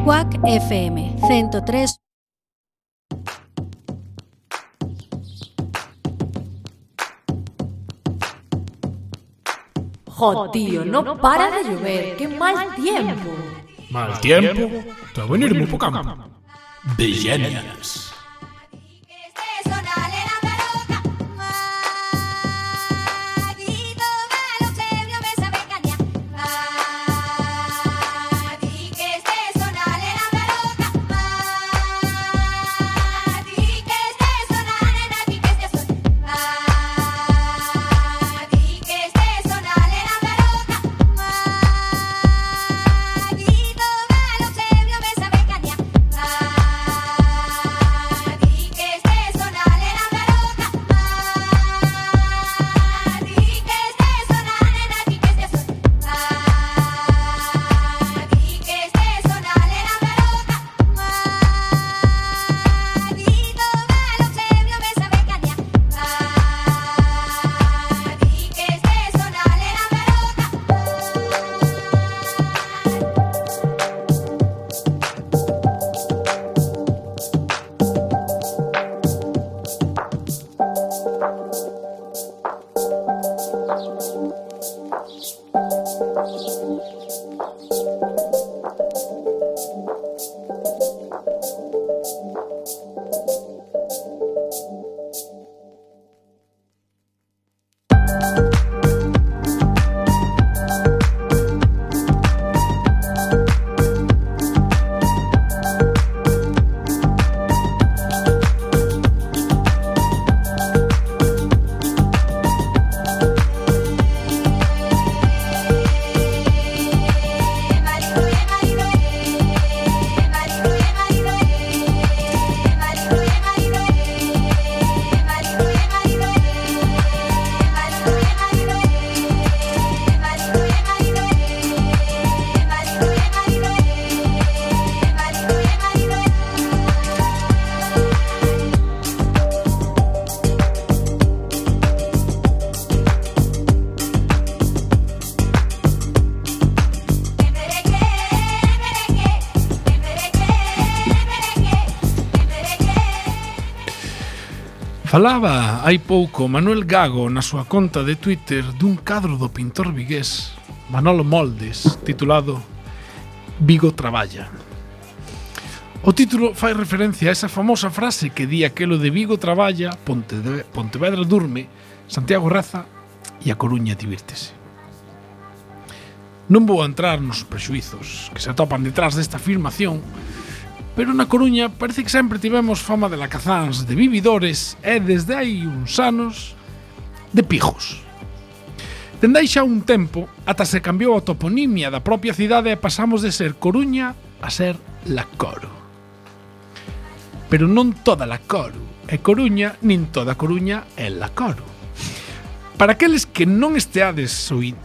Quack FM 103. Jo, tío, no para de llover. ¡Qué mal tiempo! Mal tiempo? Te va a venir muy poca. Bellenias. Falaba hai pouco Manuel Gago na súa conta de Twitter dun cadro do pintor vigués Manolo Moldes titulado Vigo traballa. O título fai referencia a esa famosa frase que di aquelo de Vigo traballa, Pontevedra durme, Santiago reza e a Coruña divírtese. Non vou entrar nos prexuizos que se atopan detrás desta afirmación, pero na Coruña parece que sempre tivemos fama de lacazáns, de vividores e desde hai uns anos de pijos. Dende aí xa un tempo ata se cambiou a toponimia da propia cidade e pasamos de ser Coruña a ser La Coru. Pero non toda La Coru é Coruña, nin toda Coruña é La Coru. Para aqueles que non esteades oíndo,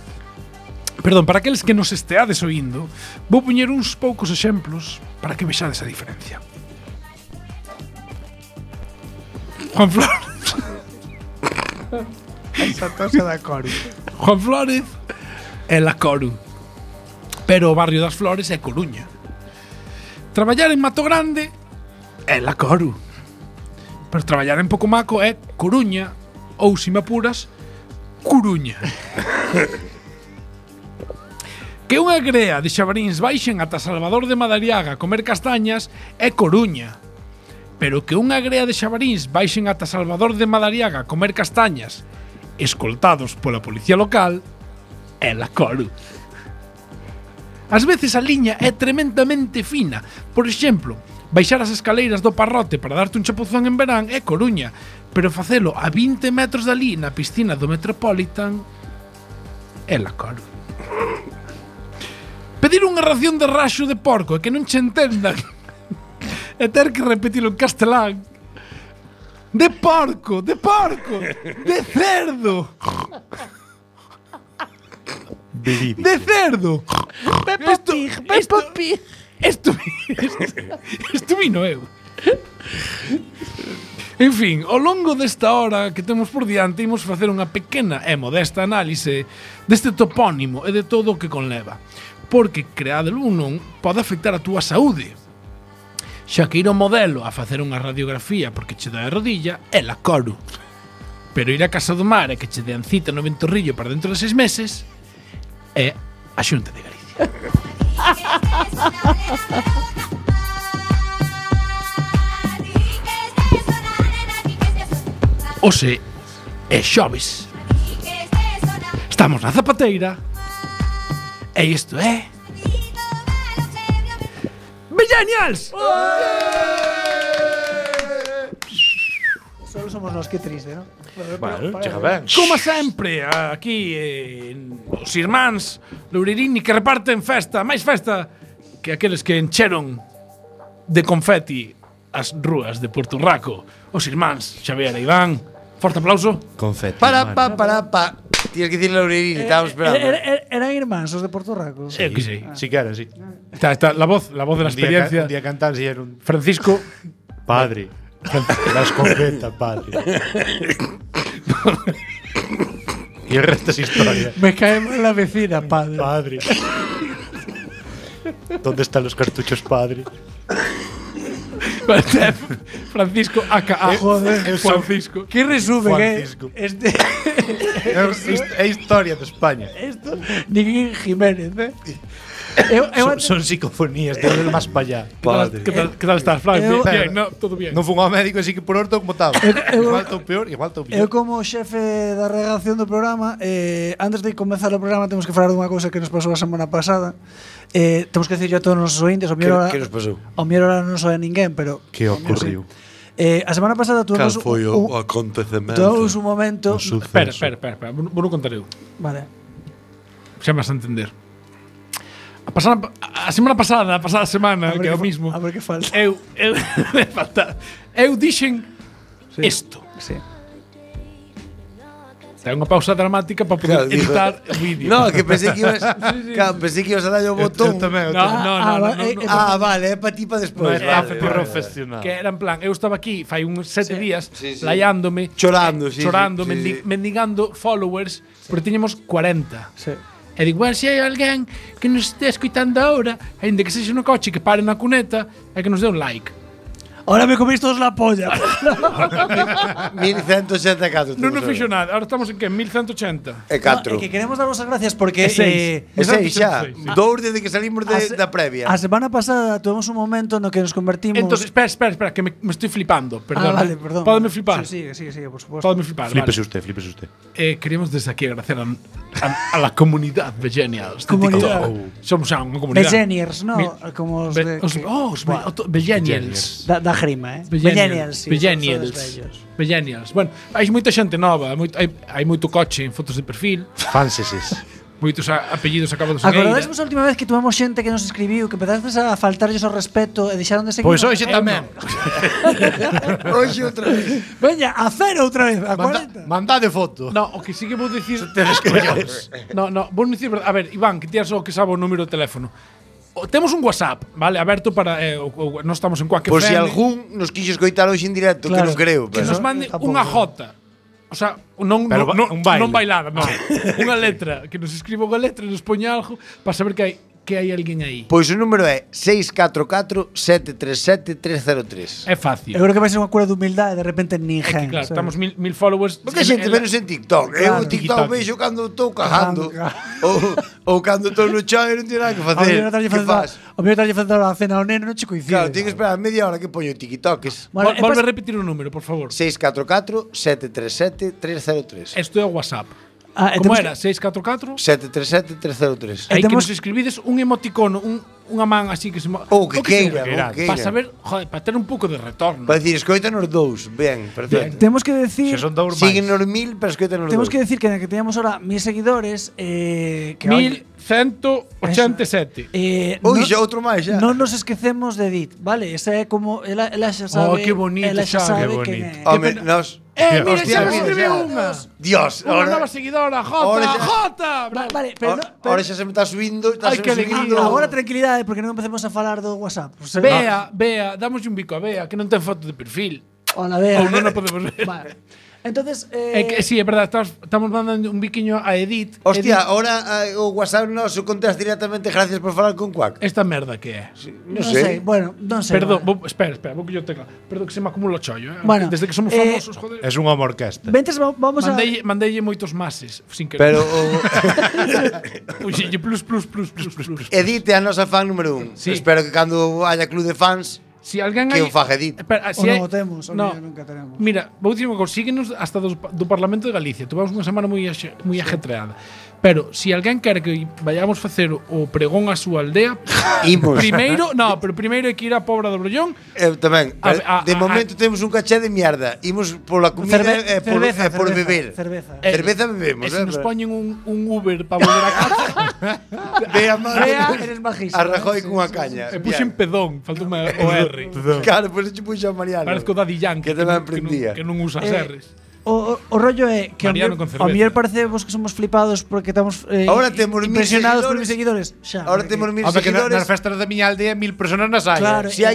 para aqueles que nos esteades oíndo, vou poñer uns poucos exemplos para que vexades a diferencia. Juan Flores. Esa tosa da Coru. Juan Flores é La Coru, pero o barrio das Flores é Coruña. Traballar en Mato Grande é La Coru, pero traballar en Pocomaco é Coruña ou, se me apuras, Coruña. Que unha grea de xabaríns baixen ata Salvador de Madariaga a comer castañas é Coruña, pero que unha grea de xabaríns baixen ata Salvador de Madariaga a comer castañas escoltados pola policía local é La Coru. Ás veces a liña é tremendamente fina. Por exemplo, baixar as escaleiras do Parrote para darte un chapuzón en verán é Coruña, pero facelo a 20 metros dali na piscina do Metropolitan é La Coru. Pedir unha ración de raxo de porco e que non che entendan e ter que repetilo en castelán. De porco, de cerdo. De cerdo. Peppa Pig. Isto vino eu. En fin, ao longo desta hora que temos por diante imos facer unha pequena e modesta análise deste topónimo e de todo o que conleva. porque creadelo ou non pode afectar a túa saúde. Xa que ir ao modelo a facer unha radiografía porque che dá a rodilla é la coro. Pero ir a Casa do Mar e que che dean cita no Ventorrillo para dentro de 6 meses é a Xunta de Galicia. Ose é xoves. Estamos na zapateira. E isto é Millennials! Solo somos nós, que triste, ¿no? Bueno, chega ben. Como sempre, aquí os irmáns Loureirini que reparten festa, máis festa que aqueles que encheron de confeti as rúas de Porto Raco. Os irmáns Xavier e Iván. Forte aplauso. Confeti. Para. Tienes que decirle a Loureirini, estábamos esperando. Eran irmáns os de Porto Rico. Que sei. Si que era, sí. Está la voz de la experiencia. Un día cantar si era un Francisco. padre. La escopeta, padre. Y el resto es historia. Me cae mal la vecina, padre. Padre. ¿Dónde están los cartuchos, padre? Francisco aka Joder, Francisco. Que resumen, Francisco. Este É historia de España. esto Ningún Jiménez, Son psicofonías, de ir más para allá. Padre. ¿Qué tal estás, Frank? Bien, no, todo bien. Non fun ao médico, así que por orto como estaba. Igual estou peor, igual estou Eu peor. como xefe da redacción do programa, antes de comenzar o programa temos que falar dunha cousa que nos pasou a semana pasada. Temos que decirlo a todos os nosos ointes, Que nos pasou? Ao mellor ahora non soe ninguén, pero Que ocurriu? a semana pasada Cal tuvemos foi o acontecemento? tuvemos un momento. Espera. Vou non contar eu. Vale. Xa me vas a entender. A semana pasada, a pasada semana, que é o mismo. A ver que falta. Eu me falta. Eu dixen isto. Sí. Ten unha pausa dramática para poder Claro, digo- editar o vídeo. No, que pensei que ibas, claro, pensei que ibas a darlle o botón. No. Vale, é para ti para despois. Está Vale, profesional. Que era en plan, eu estaba aquí fai uns 7 días Sí, sí. laiándome, Chorando, sí, chorando, sí, sí. mendigando followers, porque tiñamos 40. Sí. E digo, se hai alguén que nos este escoitando agora, ainda que sexa no coche, que pare na cuneta e que nos dé un like. Ahora me comís todos la polla. 1184. Non nos fixo nada, ahora estamos en que? 1180. E 4. Que queremos daros as gracias porque E 6. E 6 xa. 1186. Dous desde que salimos da previa. a semana pasada tuvemos un momento no que nos convertimos. Entonces, espera, que me estoy flipando, perdón. vale, perdón. Pódeme flipar. Sí, sigue, por supuesto. Pódeme flipar, Flípese vale. usted. Queremos desde aquí agradecer a la comunidad Millennials de Comunidad. TikTok. Somos xa unha comunidad. Millennials, ¿no? Mi- Como os de. Os Millennials. Da grima, Millennials, sí. Millennials. sodes bellos. Millennials. Bueno, hai moita xente nova, hai moito coche en fotos de perfil, Fanseses. moitos apellidos acabados en Acordades eira. vos a última vez que tuvemos xente que nos escribiu que empezastes a faltarlles o respeto e deixaron de seguir? Pois hoxe tamén. Hoxe outra vez. Veña, a cero outra vez, a 40. Mandade foto. No, o que sí que vou dicir, Tedes collóns. no, vou dicir, a ver, Iván, que tías o que sabe o número de teléfono. Temos un WhatsApp, vale, aberto para non estamos en Quack Por si FM. algún nos quixo escoitar hoxe en directo, que Claro. non creo. Que Pero nos mande tampouco. unha jota. O sea, non Pero non un baile. non bailada, non. Unha letra, que nos escriba unha letra e nos poña algo para saber que hai alguén aí. Pois o número é 644-737-303. É fácil. Eu creo que vai ser unha cura de humildade e de repente É que, ninguén. claro, estamos mil followers. Porque a xente menos en TikTok. Claro, Eu TikTok TikTok. vexo cando estou cagando. Cagando, ou cando estou no chão e non teño nada que O facer. mellor Que faz? tralle facer a cena ao neno non che coincide. Claro, teño que esperar media hora que poño TikToks. Bueno, Volve a repetir o número, por favor. 644-737-303. Isto é o WhatsApp. e Como temos era? 644? 737-303. Hai que temos- nos escribides un emoticono, unha man así que se Ou que sea, queira, para saber, joder, para ter un pouco de retorno. Para decir, escoítanos dous. Ben, perfecto. Temos que decir Se son dous máis. Síguenos 1000, pero escoítanos Temos dous. que decir que teníamos ahora 1000 seguidores que oye, 1187. Ui, xa outro máis xa. non nos esquecemos de Edith, vale? Esa é como ela xa sabe. que bonito, ela xa xa, sabe que quen é. Home, nos... Mira, Hostia, xa me mira, escribiu xa. unha. Dios, Unha ahora... nova seguidora, ahora Jota, xa- Jota. Vale, pero, Ahora xa se me está subindo, está Ai, que alegría. agora tranquilidade porque non empecemos a falar do WhatsApp. Bea, damos un bico a Bea, que non ten foto de perfil. Hola, vea. Ou non a podemos ver. Vale. Entonces, É que, sí, é verdade, estamos mandando un biquiño a Edith. Hostia, Edith, ahora o WhatsApp noso contesta directamente gracias por falar con Quack. esta merda que é. Non non sei. sei, bueno, non sei. Perdón, vale. espera, vou que yo tecla. Perdón que se me acumula o chollo, Bueno, Desde que somos famosos, joder. Es unha orquesta. Ventes, vamos a... Mandei moitos mases, sin querer. Pero Puxille plus. Edith é a nosa fan número 1. Sí. Espero que cando haya club de fans Si alguén que hai... o faga Edith. Espera, O non o temos, o no. nunca tenemos. Mira, vou dicir unha cousa, síguenos hasta do Parlamento de Galicia. Tuvamos unha semana moi ajetreada. Pero si alguén quere que vayamos facer o pregón á súa aldea, Imos. primeiro hai que ir á Pobra do Brollón. Eu tamén. De momento temos un caché de mierda. Imos pola comida e por beber. Cerveza. Cerveza bebemos. E se nos poñen un Uber para volver a casa, Vea, Vea, eres majísimo. a Rajoy cunha caña. e puxen pedón, faltou o R. Claro, pois pues, puxo a Mariano. Parezco Daddy Yankee, Que tamén aprendía. que non usa as R's. O rollo é que Mariano con cerveza. ao mellor parece vos que somos flipados porque estamos Ahora temos 1000 impresionados por seguidores. mis seguidores. Xa, Ahora porque- temos 1000 Home, que nas seguidores. festas da miña aldea 1000 personas nas hai. Claro. Se hai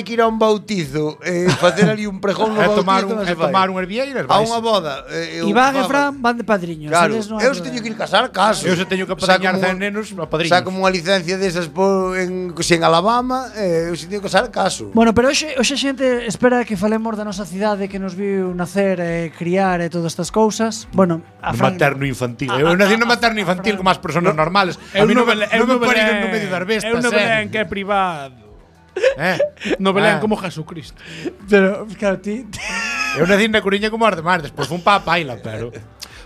que ir a un bautizo, facer ali un pregón no É bautizo, tomar non un, se fai. tomar un hervieiras. A unha boda. Iván e Fran van de padriños. Claro, eles non eu hai se teño que ir problema. casar, caso. Eu se teño que apadriñar 100 nenos a padriños. Saco unha licencia desas en Alabama, eu se teño que casar, caso. Bueno, pero hoxe a xente espera que falemos da nosa cidade que nos viu nacer e criar e todas estas cousas. Bueno, a No Fran materno infantil. Eu nací no materno infantil como as persoas normales. A mí non me pariron no medio das bestas. Eu no Belén que é privado. No Belén como Jesucristo. Pero, claro, ti Eu nací na Coruña como as demais. Despois fun pa Paila, pero...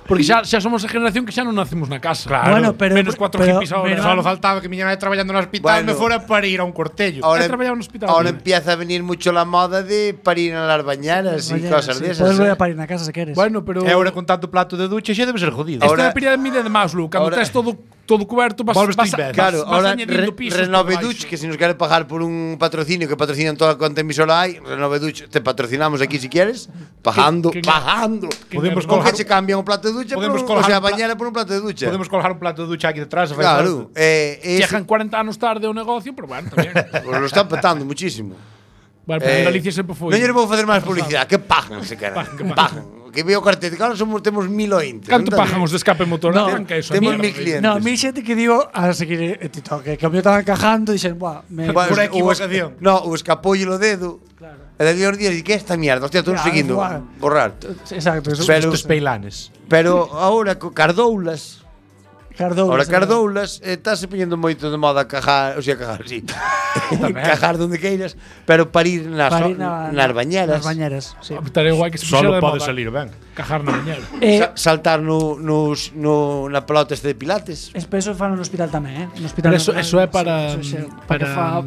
Porque xa somos a generación que xa non nacemos na casa. Claro. Bueno, pero Menos 4 pero- hippies ahora. Solo faltaba que miña nai traballando no hospital Bueno. me fora para ir a un cortello. He traballado en hospital, ahora tío. empieza a venir mucho la moda de parir en las bañeras y cosas de esas. Podes volver a parir na casa se queres. Bueno, pero E ahora con tanto plato de ducha xa debe ser jodido. esta é Ahora- a pirámide de Maslow, cando ahora- tes todo cuberto, vas Volves vas ti imbécil. Claro, ahora añadindo pisos por Renove baixo. Duch, que si nos quiere pagar por un patrocinio que patrocinan toda cuanta emisora hay, Renove Duch, te patrocinamos aquí si quieres, pagando, que- pagando. Podemos Con colgar que se cambian un plato de ducha, Podemos por, o colgar sea, un pla- bañera por un plato de ducha. Podemos colgar un plato de ducha aquí detrás. e fai Claro, falta. Chegan 40 anos tarde o negocio, pero bueno, tamén. pues lo están petando muchísimo. Bueno, pero en Galicia sempre foi. Non lle vou facer máis publicidade, que pagan se queran. Que pagan. Pagan. Que veo cartel, claro, temos 1000 ointes. Canto pagan os de escape motor? No, Que eso, temos mierda. 1000 clientes. No, mi xente que digo a seguir TikTok, que como eu estaba encajando, dixen, buah, Bueno, Por o equivocación. No, o escapollo o dedo. Claro. E de os días, e que é esta mierda? Hostia, todos Claro, seguindo. igual. Borrar. Exacto, eso. Pero- Estos peilanes. Pero ahora co Cardoulas, Cardoulas. ahora Cardoulas estáse poñendo moito de moda cajar, o sea, cajar, sí. Cajar donde queiras, pero parir nas nas bañeras. Nas bañeras, sí. Estaría guai que se Solo puxera de pode moda salir ben. cajar na bañera. Saltar na pelota este de pilates. Eso fan no hospital tamén, No hospital. Pero eso é para-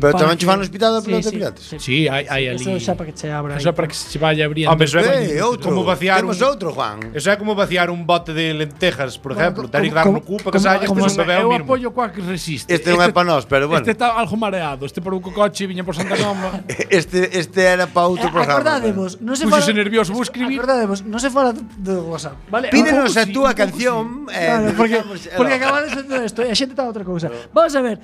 Pero tamén che fan no hospital da pelota de pilates. Sí, hai ali. Eso xa para que che abra. Eso é para que se vaya abriendo. Hombre, eso é Outro. como vaciar Temos un... outro, Juan. Eso é como vaciar un bote de lentejas, por exemplo. Ter que dar no cu para que saia como- como un bebé eu ao mismo. apoio coa que resiste. Este non é pa nós, pero bueno. Este está algo mareado. Este por un coche viña por Santa Comba. Este era pa outro programa. Acordadevos, non se Puxose nervioso, vou escribir. Acordadevos, non se fala do WhatsApp, vale? Pídenos pouco a sí, túa un pouco canción. Claro, porque acabades de todo isto e a xente está outra cousa. Vamos a ver,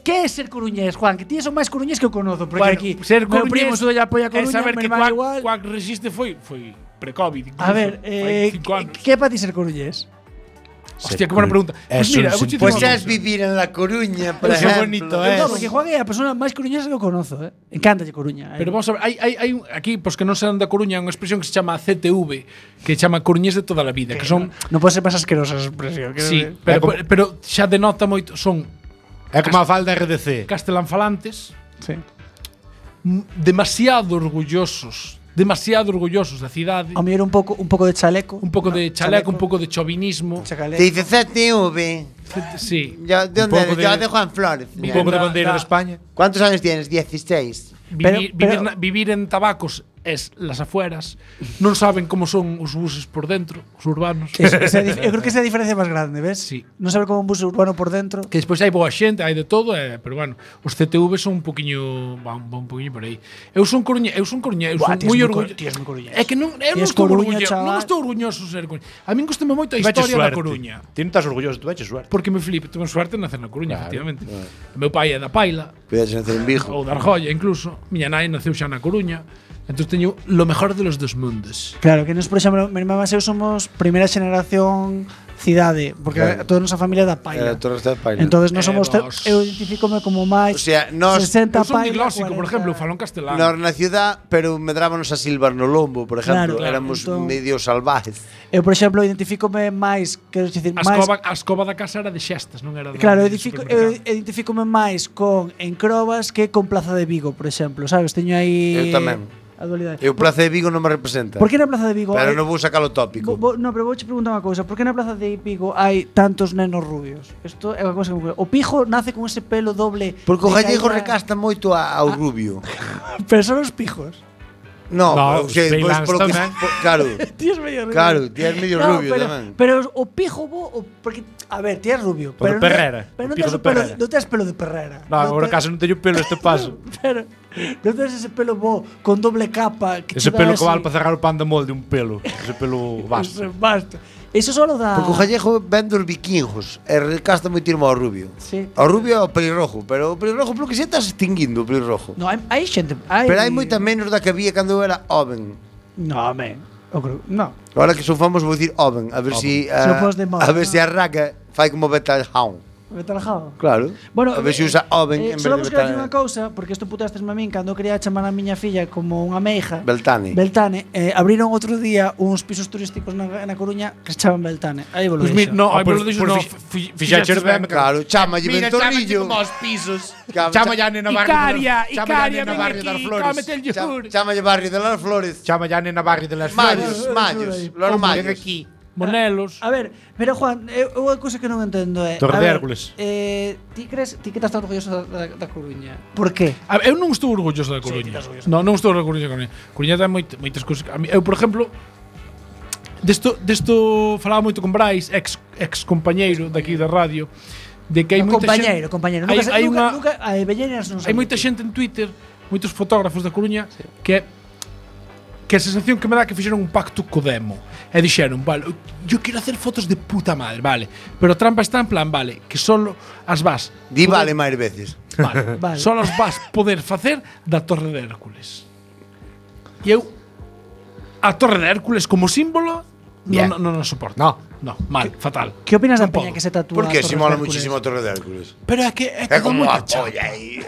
que é ser coruñés, Juan? Que ti son máis coruñés que eu conozo, porque Bueno, aquí ser meu primo coruñés sudo a apoia é Coruña, saber meu que irmán igual. Quack resiste foi pre-COVID. A ver, fai 5 anos. que é para ti ser coruñés? Hostia, que buena pregunta. Pues Es mira, un vou dicir Pues unha xa cousa. es vivir en La Coruña, por Qué ejemplo. bonito é. No, porque Juan é a persona máis coruñesa que eu conozo, Encántalle Coruña. Pero vamos a ver, hai aquí, pois que non sean da Coruña, unha expresión que se chama CTV, que se chama coruñés de toda a vida, que son non pode ser máis asquerosa esa expresión. sí, É como- pero xa denota moito, son É como a falda RDC. castelanfalantes, Sí. demasiado orgullosos da cidade, A mí era un pouco de chaleco. un pouco de chaleco, un pouco de chauvinismo, Te dice CTV. sí. Ya, ¿de Un dónde poco eres? Yo de- de Juan Flores. Un pouco de Da- bandeira da- de España. ¿Cuántos años tienes? 16. Vivir en tabacos es las afueras, non saben como son os buses por dentro, os urbanos. Eu creo que esa é a diferencia máis grande, ves? Sí. Non saber como un bus urbano por dentro. Que despois hai boa xente, hai de todo, pero bueno, os CTV son un poquinho, van un poquinho por aí. Eu son coruñés, eu son Buah, moi ti és orgulloso. ti és moi coruñés. É que non, eu Ti non és estou Coruña, orgulloso, chaval. non estou orgulloso de ser coruña. A min gustame moito a Veche historia da suerte. Coruña. Ti non estás orgulloso, tu veches suerte. Porque me flipa, tuve suerte de nacer na Coruña, Claro, efectivamente. O meu pai é da Paila, Puedes nacer en Vigo. ou da Argolla incluso. Miña nai naceu xa na Coruña. Entonces teño lo mejor de los dos mundos. Claro, que nos, por exemplo, mi irmá e eu somos primeira xeración cidade, porque toda a nosa familia é da Paila. Entonces nós somos eu identifícome como máis 60 eu son Paila. diglósico, por exemplo, falo en castelano. Nós na ciudad, pero medrábanos a silvar no lombo, por exemplo, Claro, éramos entón, medio salvajes. Eu, por exemplo, identifícome máis, quero dicir, máis. A escoba da casa era de xestas, non era de Claro, eu supermercado. identifícome máis con Encrobas que con Plaza de Vigo, por exemplo, sabes? Teño aí Eu tamén. a dualidade. E o Plaza de Vigo non me representa. Por que na Plaza de Vigo Pero non vou sacar o tópico. No, pero vouche preguntar unha cousa. Por que na Plaza de Vigo hai tantos nenos rubios? Isto é unha cousa que o pijo nace con ese pelo doble. Porque o de gallego caída. recasta moito ao rubio. Pero son os pijos. No, No, o sea, os pois peilans tamén. claro. Ti es medio rubio. Claro, ti es medio rubio tamén. Pero o pijo porque a ver, ti es rubio, O pero de Perrera, pero o non pijo tes de pelo, Perrera. non tes pelo de Perrera. No, agora caso non teño pelo este paso. Pero non tes ese pelo bo con doble capa que Ese che dá pelo que así. vale para cerrar o pan de molde, un pelo. Ese pelo vasto. Basta. Eso solo dá. Porque o gallego ven dos vikingos e recasta moito irmo ao rubio. Sí. Ao rubio é o pelirrojo, pero o pelirrojo polo que se estás extinguindo o pelirrojo. No, hai xente, Pero hai moita menos da que había cando eu era joven. No, men. Eu creo, no. Agora que son famoso vou dicir joven, a ver si Se o pos de moda, a ver no. si arranca fai como Betal Hound. Vete alejado. Claro. Bueno, a ver se usa joven en vez solo de vos quero dicir Betal. unha cousa, porque isto putastes a min cando quería chamar a miña filla como unha meiga. Beltane. Beltane, abriron outro día uns pisos turísticos na Coruña que se chaman Beltane. Aí vos lo Pues dixo. no, aí Pues- vos lo dixo, pues no. fixaches ben, Claro, chámalle Mira, Ventorrillo. como os pisos. Chama ya nena Icaria, Icaria ven barrio das aquí, Flores. cómete el yogur. Chámalle Barrio de las Flores. Chama ya nena barrio de las Mayos, Flores. mayos, los Ven mayos. aquí. Monelos. A ver, pero Juan, unha cousa que non entendo é Torre a de ver, Hércules. ti que estás tan orgulloso da Coruña? Por qué? A ver, eu non estou orgulloso da Coruña. Non estou orgulloso da Coruña. Coruña ten moitas cousas. A mí, eu, por exemplo, desto falaba moito con Brais, ex compañeiro daqui da radio, de que hai moita xente. Compañeiro. Hai Nunca vellenas non Hai moita xente en Twitter, moitos fotógrafos da Coruña que a sensación que me dá que fixeron un pacto co demo e dixeron, vale, yo quero hacer fotos de puta madre, vale, pero a trampa está en plan, vale, que solo as vas Di vale máis veces. vale, Vale. solo as vas poder facer da Torre de Hércules. E eu a Torre de Hércules como símbolo Bien. non soporto. No, mal, fatal. Que opinas da Non peña podo. que se tatúa? Porque Torres si mola de Hércules? muchísimo a Torre de Hércules. Pero é que É como moita a chapa. polla aí.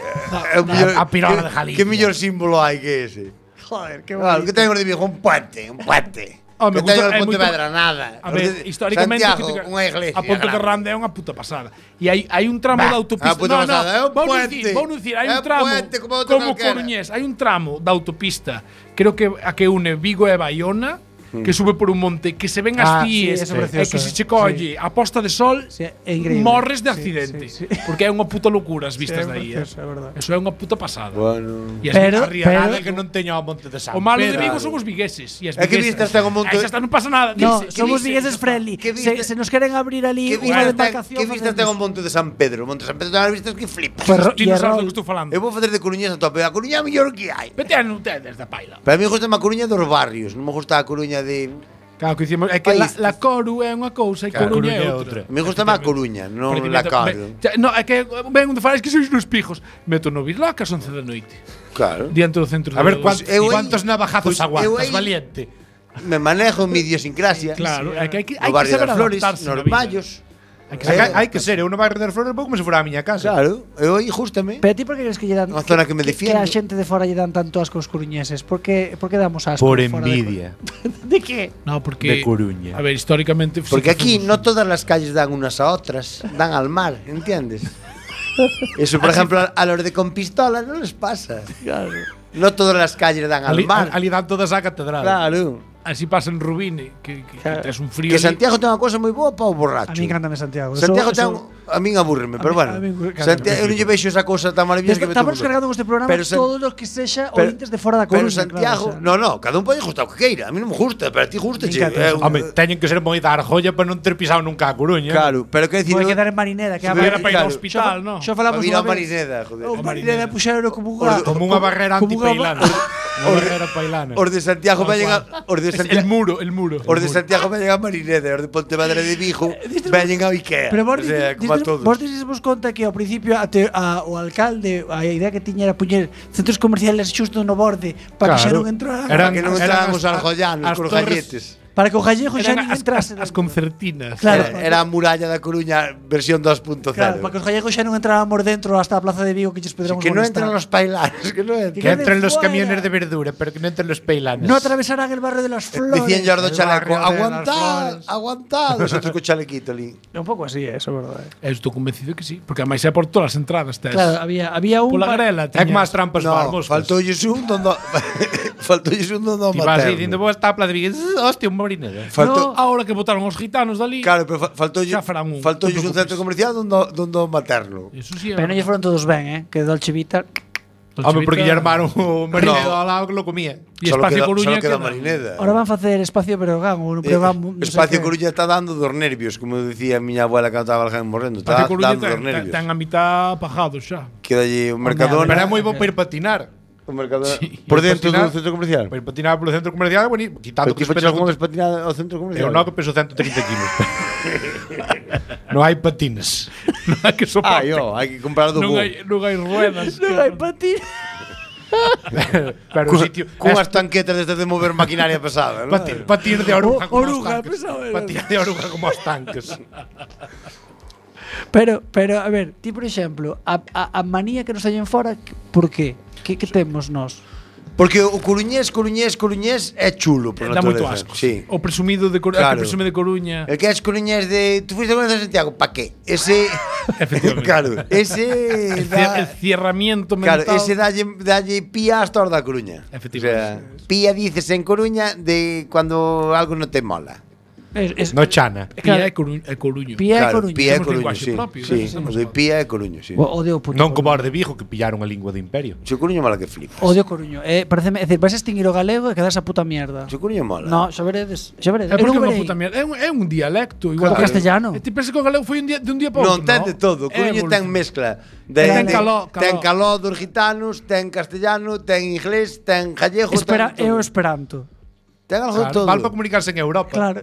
A pirola de Galicia. Que mellor símbolo hai que ese? Joder, qué Claro, bonito. que teño de Vigo un puente, un puente. Oh, me que teño gusta- de é moito- Pontevedra nada. A ver, históricamente Santiago, unha iglesia. a Ponte de grande. Rande é unha puta pasada. E hai un tramo da autopista. a puta pasada, é un puente. Vou dicir, hai É un un tramo puente como outro calquera. Coruñés, hai un tramo da autopista, creo que a que une Vigo e Baiona, que sube por un monte, que se ven as sí, cíes, eso e é precioso, que se che colle a posta de sol, Sí, é increíble. morres de Sí, accidente. sí, sí. Porque é unha puta locura as é vistas dai. precioso, é verdade. Eso é unha puta pasada. Bueno. E Pero- Nada que non teña o Monte de San o malo de Pedro. Vigo son os vigueses e as É que viguesas. vistas ten o monte- Aí xa está, non pasa nada. No, Dice, somos dice, vigueses xa está. friendly. ¿Qué viste? Se nos queren abrir ali Que unha vistas ten, demarcación. que vistas ten o Monte de San Pedro? O Monte de San Pedro ten as vistas que flipas. Ti non sabes do que estou falando. Eu vou facer de Coruñés a tope. A Coruña é a mellor que hai. Vete a ustedes da paila. Pero a mí gusta a Coruña dos barrios, non me gusta a Coruña de... Claro, que dicimos, é que País. la Coru é unha cousa e Claro, Coruña é Coruña é outra. Me gusta máis a Coruña, non Porque la meto- Coru. No, é que ven onde falas que sois nos pijos. Meto no Bisloca ás 11 da noite. Claro. Diante do centro A ver de eu aí- cuántos navajazos pues eu aguantas, aí- valiente. Me manejo en mi idiosincrasia. Claro, é que No hai que barrio saber das Flores, adaptarse na nos vida. Vallos. Hai que Hai que ser, eu no barrio das Flores vou como se fora a miña casa. Claro, eu aí justame. Pero ti por que crees que lle dan Unha zona que me que defiendo. a xente de fora lle dan tanto asco aos coruñeses? Por que damos asco? Por fora de envidia. ¿De qué? No, porque De Coruña. A ver, históricamente Porque aquí no todas las calles dan unas a otras, dan al mar, ¿entiendes? Eso, por ejemplo, a los de con pistola no les pasa. Claro. No todas las calles dan al mar. Ali dan todas a catedral. Claro. así pasa en Rubine, que tes un frío. Que ali. Santiago ten unha cosa moi boa para o borracho. A mí encántame Santiago. Santiago Eso- ten a min abúrreme, pero a bueno. mí encántame. Santiago, eu non lle vexo esa cousa tan maravillosa que me Estamos tuvo. cargando este programa Pero San- todos los que sexa pero- ointes de fora da Pero Coruña. Santiago, no, cada un pode gustar o que queira. A mí non me gusta, pero a ti gusta, Me che. encanta. Home, teñen que ser moi da Arjolla para non ter pisado nunca a Coruña. Claro, pero quero dicir, Vai quedar en Marineda, que Si a hubiera para ir ao claro. hospital, no. Xo falamos Para vir a unha vez. Marineda, joder. O Marineda puxeron como unha Como unha barrera como unha antipeilante. Era pailana. Os de Santiago veñen a El muro. Os de Santiago veñen a Marineda, os de Pontevedra de Vigo veñen ao Ikea. Pero vos, o sea, como a todos. vos vos conta que ao principio o alcalde a idea que tiña era poñer centros comerciales xusto no borde para que xa non entraran. Para que non entraran os algollanos con os galletes. Para que o gallego xa non entrase. As concertinas. Claro. Era a muralla da Coruña versión 2.0. Claro, para que os gallegos xa non entráramos dentro hasta a plaza de Vigo que lles poderamos Que no molestar. entran los pailanes, que no entran. Que entren los camiones de verdura, pero que no entren los peilanes. No atravesarán el barrio de las flores. Dicían Jordo Chaleco, barrio de las aguantad, flores. aguantad. Nosotros con chalequito ali. É un pouco así, eso, verdade. Estou convencido que sí, porque ademais é por todas as entradas tes. Claro, había un Pola grela, É que máis trampas No, vamos. faltoulles un dondo faltoulles un dondo Ti vas materno. dicindo, vos está a plaza de Vigo, hostia, un Marineda. Faltou, Ahora que votaron os gitanos dali. claro, pero faltoulles Xa farán un, faltoulles non un te centro comercial dondo materno. Eso sí. Pero non lle foron todos ben, que Dolce Vita. Home, porque lle armaron o Marineda No. ao lado que lo comía. E Espacio Coruña solo queda queda. Marineda. Ahora van facer Espacio Breogán, ou Breogán, non sei Espacio que. Coruña está dando dos nervios, como decía a miña abuela cando estaba alguén morrendo. Está Espacio Coruña dando dos nervios. ten a mitad pagados xa. Queda allí un Mercadona. Pero é moi bo para ir patinar. Un Mercadona. Sí. Por dentro Patinar. do centro comercial. Para ir patinar polo centro comercial, bueno, quitando Pero que ti os fechas pesas como despatinar ao centro comercial. Eu non, que peso 130 kilos. Non hai patines. Non hai que sopar. Hai que comprar do Non bo. hai ruedas. Non hai patín. Pero o sitio Cunhas tanquetas desde de mover maquinaria pesada, ¿no? patir de oruga como os Oruga, tanques. pesado, Patir de oruga como os tanques. Pero, a ver, ti, por exemplo, a manía que nos hallen fora, por qué? Que temos nós? Porque o coruñés é chulo por Dá moito naturaleza. asco. Sí. O presumido de Coruña, Claro. que presume de Coruña. El que es coruñés de... Tú fuiste con el de Santiago, ¿pa qué? Ese... Efectivamente. Claro, ese... El cierramiento Claro, mental. ese dalle pía hasta hora da Coruña. Efectivamente. O sea, pía dices en Coruña de cuando algo no te mola. No chana. Pía é Coruño. Pía Claro, Coruña. pía é Temos Coruño, linguaxe sí. propio, Sí, temos o de pía é Coruño, sí. Odio o puto Non como Coruño. os de Vigo que pillaron a lingua de imperio. Se o Coruño mola que flipas. Odio Coruño. Pareceme, é decir, vais a extinguir o galego e quedas a puta mierda. Se o Coruño mola. No, xa veredes. É Eu porque é non unha verei. puta mierda. É un dialecto. Igual O que castellano. E ti pensas que o galego foi de un día para Non, outro, ten de todo. O Coruño ten mezcla. Ten caló. Ten caló dos gitanos, ten castellano, ten inglés, ten gallego, Espera, ten é o todo. esperanto. Ten algo de todo. Val para comunicarse en Europa. Claro.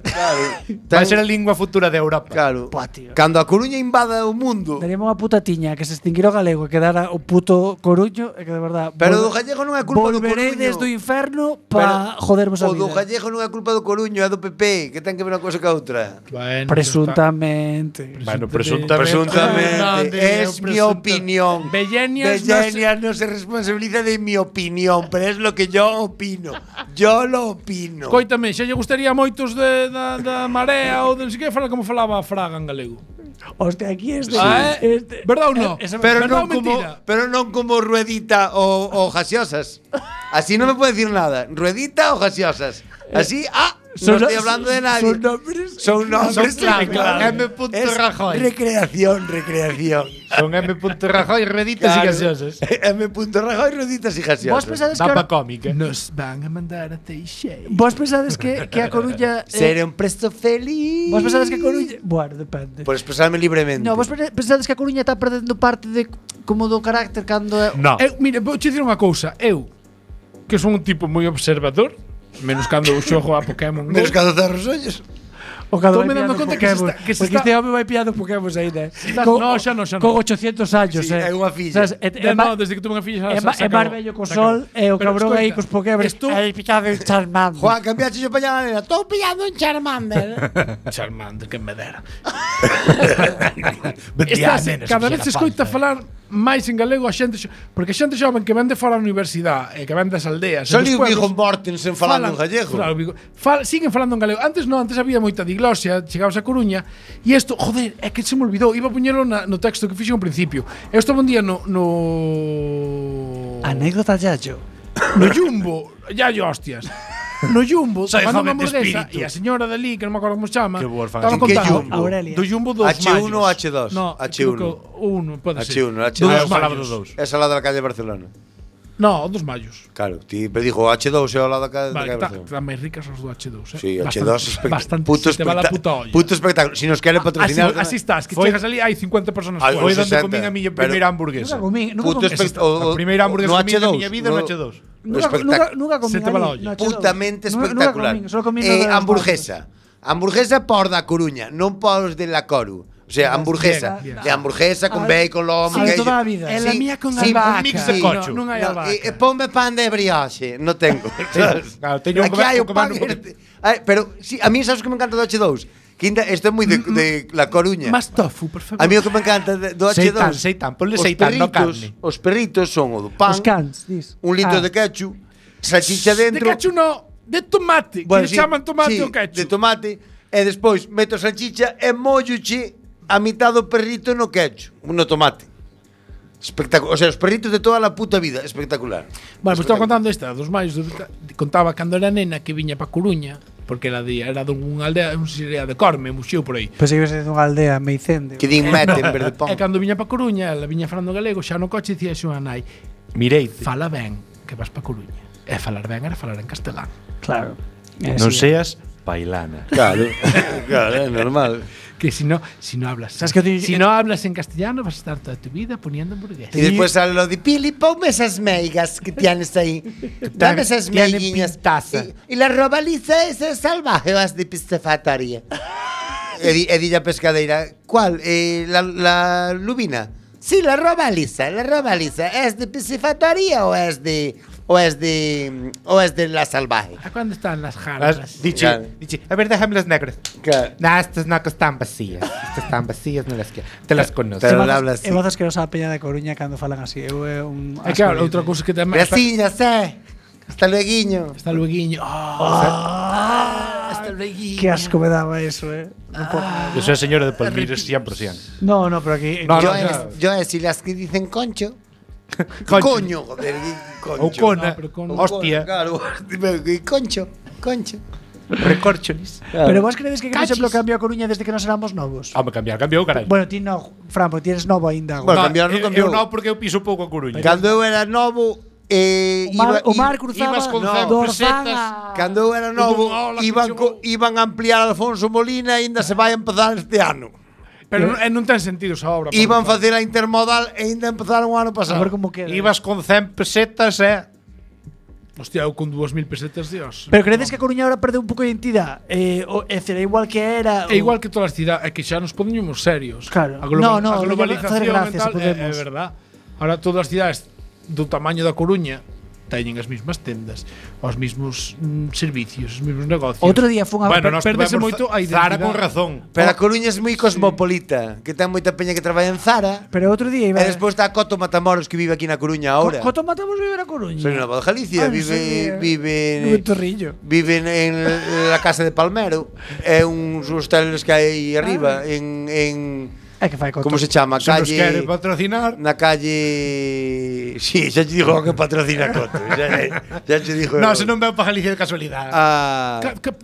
Vai ser a lingua futura de Europa. Claro. Buah, tío. Cando a Coruña invada o mundo. Daríamos unha puta tiña que se extinguira o galego e quedara o puto Coruño e que de verdade Pero do gallego non é culpa do volverei Coruño. desde o inferno para jodermos a O do vida. gallego non é culpa do Coruño, é do PP, que ten que ver unha cousa ca outra. Bueno, Presuntamente. Bueno, Presuntamente. Es mi opinión. Bellenias Bellenias no se responsabiliza de mi opinión, pero es lo que yo opino. Yo lo opino. Coítame, xa lle gustaría a moitos da Marea ou de non sei que falar como falaba Fraga en galego. Hostia, aquí este. Verdad ou non? Pero Verdad non ou como, mentira? pero non como Ruedita o Gaseosas. Así no me puede decir nada. Ruedita o Gaseosas. Así, no estoy hablando de nadie. Son nombres. Son nombres claro, claro. M. Es Rajoy. recreación. Son M. Rajoy, reditas y gaseosas. M. Rajoy, Rueditas y Gaseosas. Vos pensades que Da pa ahora, cómica. Nos van a mandar a Teixeira. vos pensades que a Coruña Seré un presto feliz. vos pensades que a Coruña, bueno, depende. Por expresarme libremente. No, vos pensades que a Coruña está perdendo parte de como do carácter cando No. Mira, vou che dicir unha cousa. Eu, que son un tipo moi observador, menos cando xogo a Pokémon Go. Menos que a docer os ollos. o cando Estou me dando conta que se Pokémon. está- que se Porque está- este home vai pillando Pokémon ainda. No, xa non. Con 800 años, Sí, é unha filla. Sabes, No, desde que tuve unha filla É máis vello co sol e o Pero cabrón aí escoita, cos Pokémon. estou- Aí pillado un Charmander. Juan, cambiaste yo para allá, nena. Estou pillando un Charmander. Charmander, que me dera. Vendía Estás, nenas, cada vez fixera se escoita falta. falar máis en galego a xente porque a xente xoven que vende fora da universidade e que vende das aldeas. Só e dos o Viggo pueblos, Mortensen falando en gallego. Claro, siguen falando en galego. Antes non, antes había moita diglosia, chegabas a Coruña e isto, joder, é que se me olvidou, iba a poñelo no texto que fixo ao principio. Eu estaba un día no Anécdota Yayo. no Jumbo, ya hostias. No Jumbo, Soy tomando unha joven de hamburguesa espíritu. e a señora dali, que non me acordo como se chama, Que huérfana. estaba En que contando Jumbo? Aurelia. do Jumbo dos H1 Mayos. ou H2? No, H1. H1, pode ser. H1, H2. Dos Eu falaba Mayos. dos dous. Esa lá da calle de Barcelona. No, dos Mayos. Claro, ti me dijo H2 é ao lado da calle Vale, de Barcelona. están máis ricas os do H2, Sí, Bastante- H2 espectacular. Bastante, Puto se te va la puta olla. Puto espectáculo. Si nos quere patrocinar. Así estás, que Foi- chegas ali, hai 50 personas Ay, fuera. Foi onde 60, comín a miña pero- primeira hamburguesa. Nunca comí, nunca Puto comí. espectáculo. A primeira hamburguesa no que comín na H2, miña vida no H2. Nunca comí putamente espectacular. Solo comí hamburguesa. Hamburguesa por da Coruña, non por de la Coru. O sea, hamburguesa. De hamburguesa con bacon, lomo, queijo. Toda a vida. É a mía con albahaca. Un mix de cocho. Non hai albahaca. Ponme pan de brioche. Non tengo. Claro, teño Aquí hai o pan. Pero, sí, a mí sabes que me encanta do H2? Que isto é moi de La Coruña. Más tofu, por favor. A mí o que me encanta do H2. Seitan, ponle seitan, no carne. Os perritos son o do pan. Os cans, dis. 1 litro de ketchup, salchicha dentro. De ketchup no, de tomate. Que chaman tomate o ketchup. De tomate. E despois meto salchicha e molloche a mitad do perrito no ketchup, no tomate. Espectacular. O sea, os perritos de toda a puta vida. Espectacular. Bueno, pues estaba contando esta dos máis. Contaba cando era nena que viña pa Coruña, porque era dunha aldea, non sei se era de Corme, muxeu por aí. Pois ibas dunha aldea meicende. Que din mete en verde pon. E cando viña pa Coruña, ela viña falando galego, xa no coche dicía xo a nai: Mireite. Fala ben, que vas pa Coruña. E falar ben era falar en castelán. Claro. Non seas pailana. Claro, é normal. Que si no hablas, si no hablas en castellano vas a estar toda tu vida poniendo hamburguesas. Y después sale lo de Pili, ponme esas meigas que tienes ahí. Dame esas meiguiñas. Y la robaliza es salvaje, vas de piscifactoría. Edilla pescadeira, ¿cuál? La lubina. Sí, la robaliza. ¿Es de piscifactoría o es de la salvaje? ¿A cuándo están las jarras? Dice, a ver, déjame las negras. Claro. No, estas no están vacías. Estas están vacías, no las quiero. Te las conozco. Pero hablas así. É vozas que nos a peña de Coruña cando falan así. É claro, outra cousa que tamén. Graciñas, Hasta lueguiño. Hasta lueguiño. Hasta lueguiño. Que asco me daba eso, Yo soy señora de Palmires 100%. No, pero aquí. Yo si las que dicen concho. Coño, joder, concho. Ou cona, hostia. Claro, concho. Recorcholis. Claro. Pero vos credes que por exemplo cambiou a Coruña desde que nos éramos novos? Cambiou, carai. Bueno, ti no, Fran, porque ti eres novo aínda. Bueno, cambiar non cambiou. Eu non, porque eu piso pouco a Coruña. Cando eu era novo, o mar cruzaba ibas con pesetas. Cando eu era novo, iban a ampliar Alfonso Molina e ainda se vai a empezar este ano. Pero non ten sentido esa obra. Iban facer a intermodal e ainda empezaron o ano pasado. A ver como queda. Ibas con 100 pesetas, Hostia, eu con 2000 pesetas, Dios. Pero credes que a Coruña ahora perdeu un pouco de identidade? É igual que era. É igual que todas as cidades, é que xa nos poñemos serios. Claro. A globalización mental é verdad. Ahora todas as cidades do tamaño da Coruña teñen as mesmas tendas, os mesmos servicios, os mesmos negocios. Outro día fun a perdese moito a identidade. Zara con razón. Pero a Coruña é moi cosmopolita, que ten moita peña que traballa en Zara. Pero outro día iba. E despois está Coto Matamoros que vive aquí na Coruña agora. Coto Matamoros vive na Coruña. Soy na Voz de Galicia, vive en Torrillo. Vive en la casa de Palmero, é uns hosteles que hai arriba en É que fai Coto. Como se chama? Se nos quere patrocinar. Na calle. Sí, xa te digo que patrocina Coto. Xa te digo. No, se non veo para Galicia de casualidade.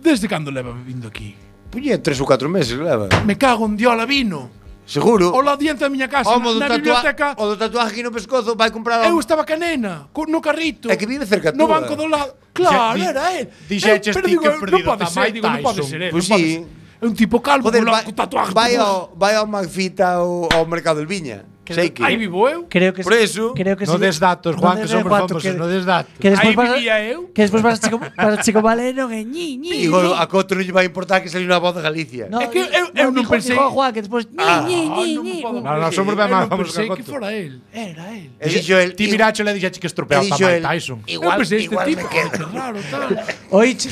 Desde cando leva vindo aquí? Puñe 3 ou 4 meses leva. Me cago en Diola vino. Seguro. O la diente da miña casa, na biblioteca. O do tatuaje aquí no pescozo vai comprar. Eu estaba canena, no carrito. É que vive cerca no banco do lado. Claro, era él. Dixeches ti que perdido a Mike Tyson. Non pode ser él. Pois si. É un tipo calvo con tatuajes. Vai ao Magfita ou ao Mercado del Viña. Sei que. Aí vivo eu. Creo que por eso. No des datos, Juan, que somos famosos, no des datos. Aí vivía eu. Que despois para Chico Valero en ñi. Digo, a Coto non lle vai importar que saliu na Voz de Galicia. É que eu non pensei. Dijo Juan que despois ñi. No, somos ben máis famosos que a Coto. Que fora él. Era él. E dixo el. Ti miracho le dixache que estropeaba a Mike Tyson. Igual me quedo. Claro, tal. Oiche,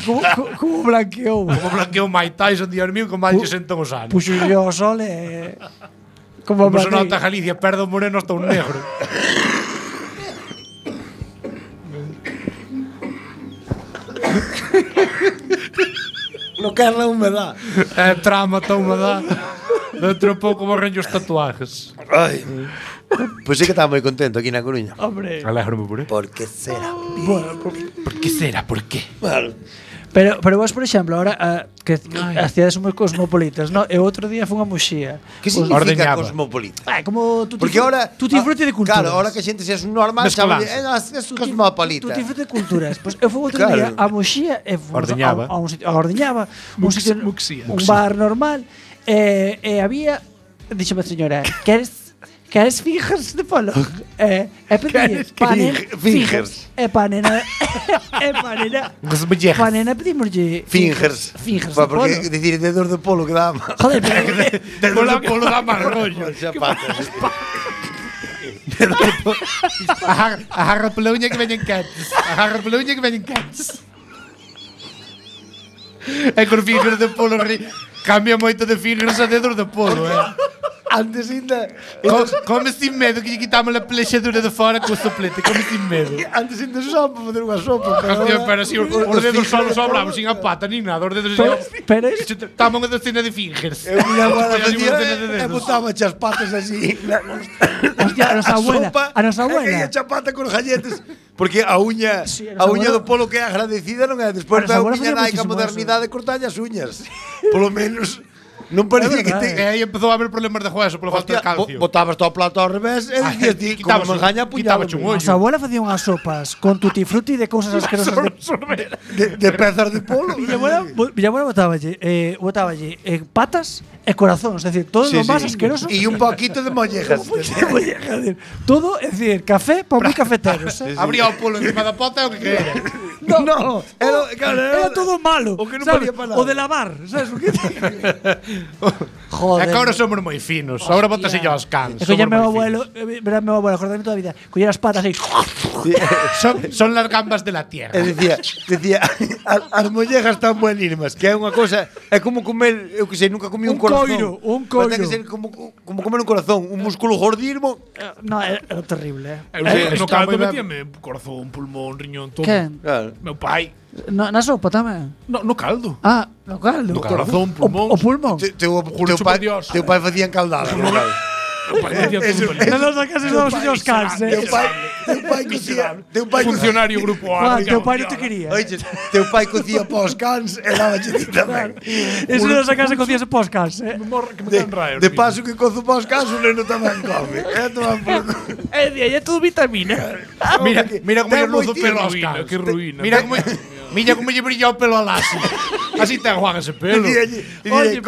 como blanqueou. Como blanqueou Mike Tyson, Dios mío, con mal lle sentou os anos. Puxo yo o sol Como se nota Galicia, perdo moreno hasta un negro. No quer la humedad. Trama a humedad. Dentro pouco morren os tatuajes. Ai. Pois sí que estaba moi contento aquí na Coruña. Hombre. Alégrome por Por que será? Bueno, por que será? Por que? Bueno. Pero vos, por exemplo, ahora que as cidades son moi cosmopolitas, no? E outro día fun a Muxía. Que significa cosmopolita? Como porque ahora tú disfrutes de culturas. Claro, ahora que a xente seas un normal, sabe, é cosmopolita. Tú disfrutes de culturas. Pois eu fui outro día a Muxía e Ordeñaba. A Ordeñaba, un bar normal, e había, díxome a señora, Queres fingers de polo? Pedille fingers. Panena pedimoslle Fingers. Fingers de polo. Porque decir dedos de polo que dá. Joder, pero Dedos de polo dá máis rollo. Agarra pola uña que veñen cats. E con fingers de polo cambia moito de fingers a dedos de polo, Antes ainda Come sin medo que lle quitamos a plexadura de fora co soplete, come sin medo. Antes ainda se usaba para facer unha sopa. Pero así, os dedos só sobraban, sin a pata, ni nada. Os dedos pero estamos unha docena de fingers. Eu miña abuela facía e botaba as patas así. Hostia, a nosa abuela. E a chapata con galletes. Porque a uña do polo que é agradecida non é. Despois da miña nai ca modernidade cortalle as uñas. Polo menos non parecía que te... E aí empezou a haber problemas de hueso polo falta de calcio. Botabas todo o plato ao revés e dicías ti, como me gaña, quitaba un ollo. Nosa abuela facía unhas sopas con tutti frutti de cousas asquerosas de pezas de polo. Miña abuela botáballe patas e corazóns, é dicir, todo lo máis asqueroso. E un poquito de mollejas. Todo, é dicir, café para moi cafeteros. Abría o polo encima da pota o que queira. No, era todo malo. O que non valía para nada. O de lavar, sabes o que? Joder. É que agora somos moi finos. Agora botas yo aos cans. É que meu abuelo, acordarme toda a vida, collera as patas aí. Son las gambas de la tierra. E decía, as mollejas tan buenísimas, que é unha cosa, é como comer, eu que sei, nunca comí un corazón. Un coiro. Ten que ser como comer un corazón, un músculo gordismo. No, é terrible. No caldo metíame corazón, pulmón, riñón, todo. Quen? Meu pai. Na sopa tamén? No caldo. Ah, no caldo. No corazón, pulmón. O pulmón. Teu pai facía encaldada. Na nosa casa estamos os cans, Teu pai funcionario grupo A. Teu pai non te quería. Oye, teu pai cocía pos cans e daba ti tamén. Eso na nosa casa cocíase pos cans, De paso que cozo pos cans, o neno tamén come. É todo vitamina. Mira como lle luzo pelo aos cans. Que ruína. Mira como lle brilla o pelo a Lassi. Así ten Juan ese pelo. Oye,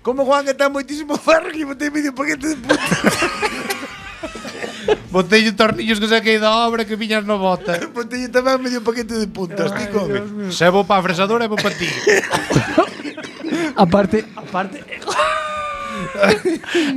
como Juan que ten moitísimo ferro que botei medio paquete de puta. Botei tornillos que saquei da obra que viñas no bota. Botei tamén medio paquete de puntas, ti come. Se vou pa fresadora e vou pa ti.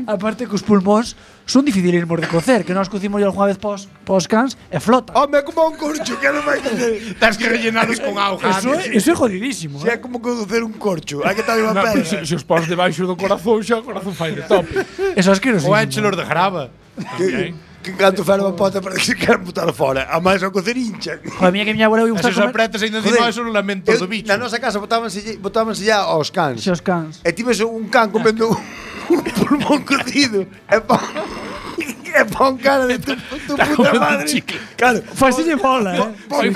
Aparte que os pulmóns son dificilísimos de cocer, que nós cocimos algunha vez pos cans e flota. Home, como un corcho, que non vai cocer. Tens que rellenalos con auga. Eso é jodidísimo. É como cocer un corcho, hai que estar unha pedra. Se os pos debaixo do corazón, xa o corazón fai de top. Eso é asquerosísimo. Ou échelos de grava. Que canto fer unha pota para que se queran botar fora. A máis ao cocer hincha. Joder, mía que miña abuela Se os apretas ainda encima, eso non lamento do bicho. Na nosa casa botábanse ya aos cans. Os cans. E tives un can comendo un pulmón cocido. E pon cara de tu puta madre. Claro. Fasille bola,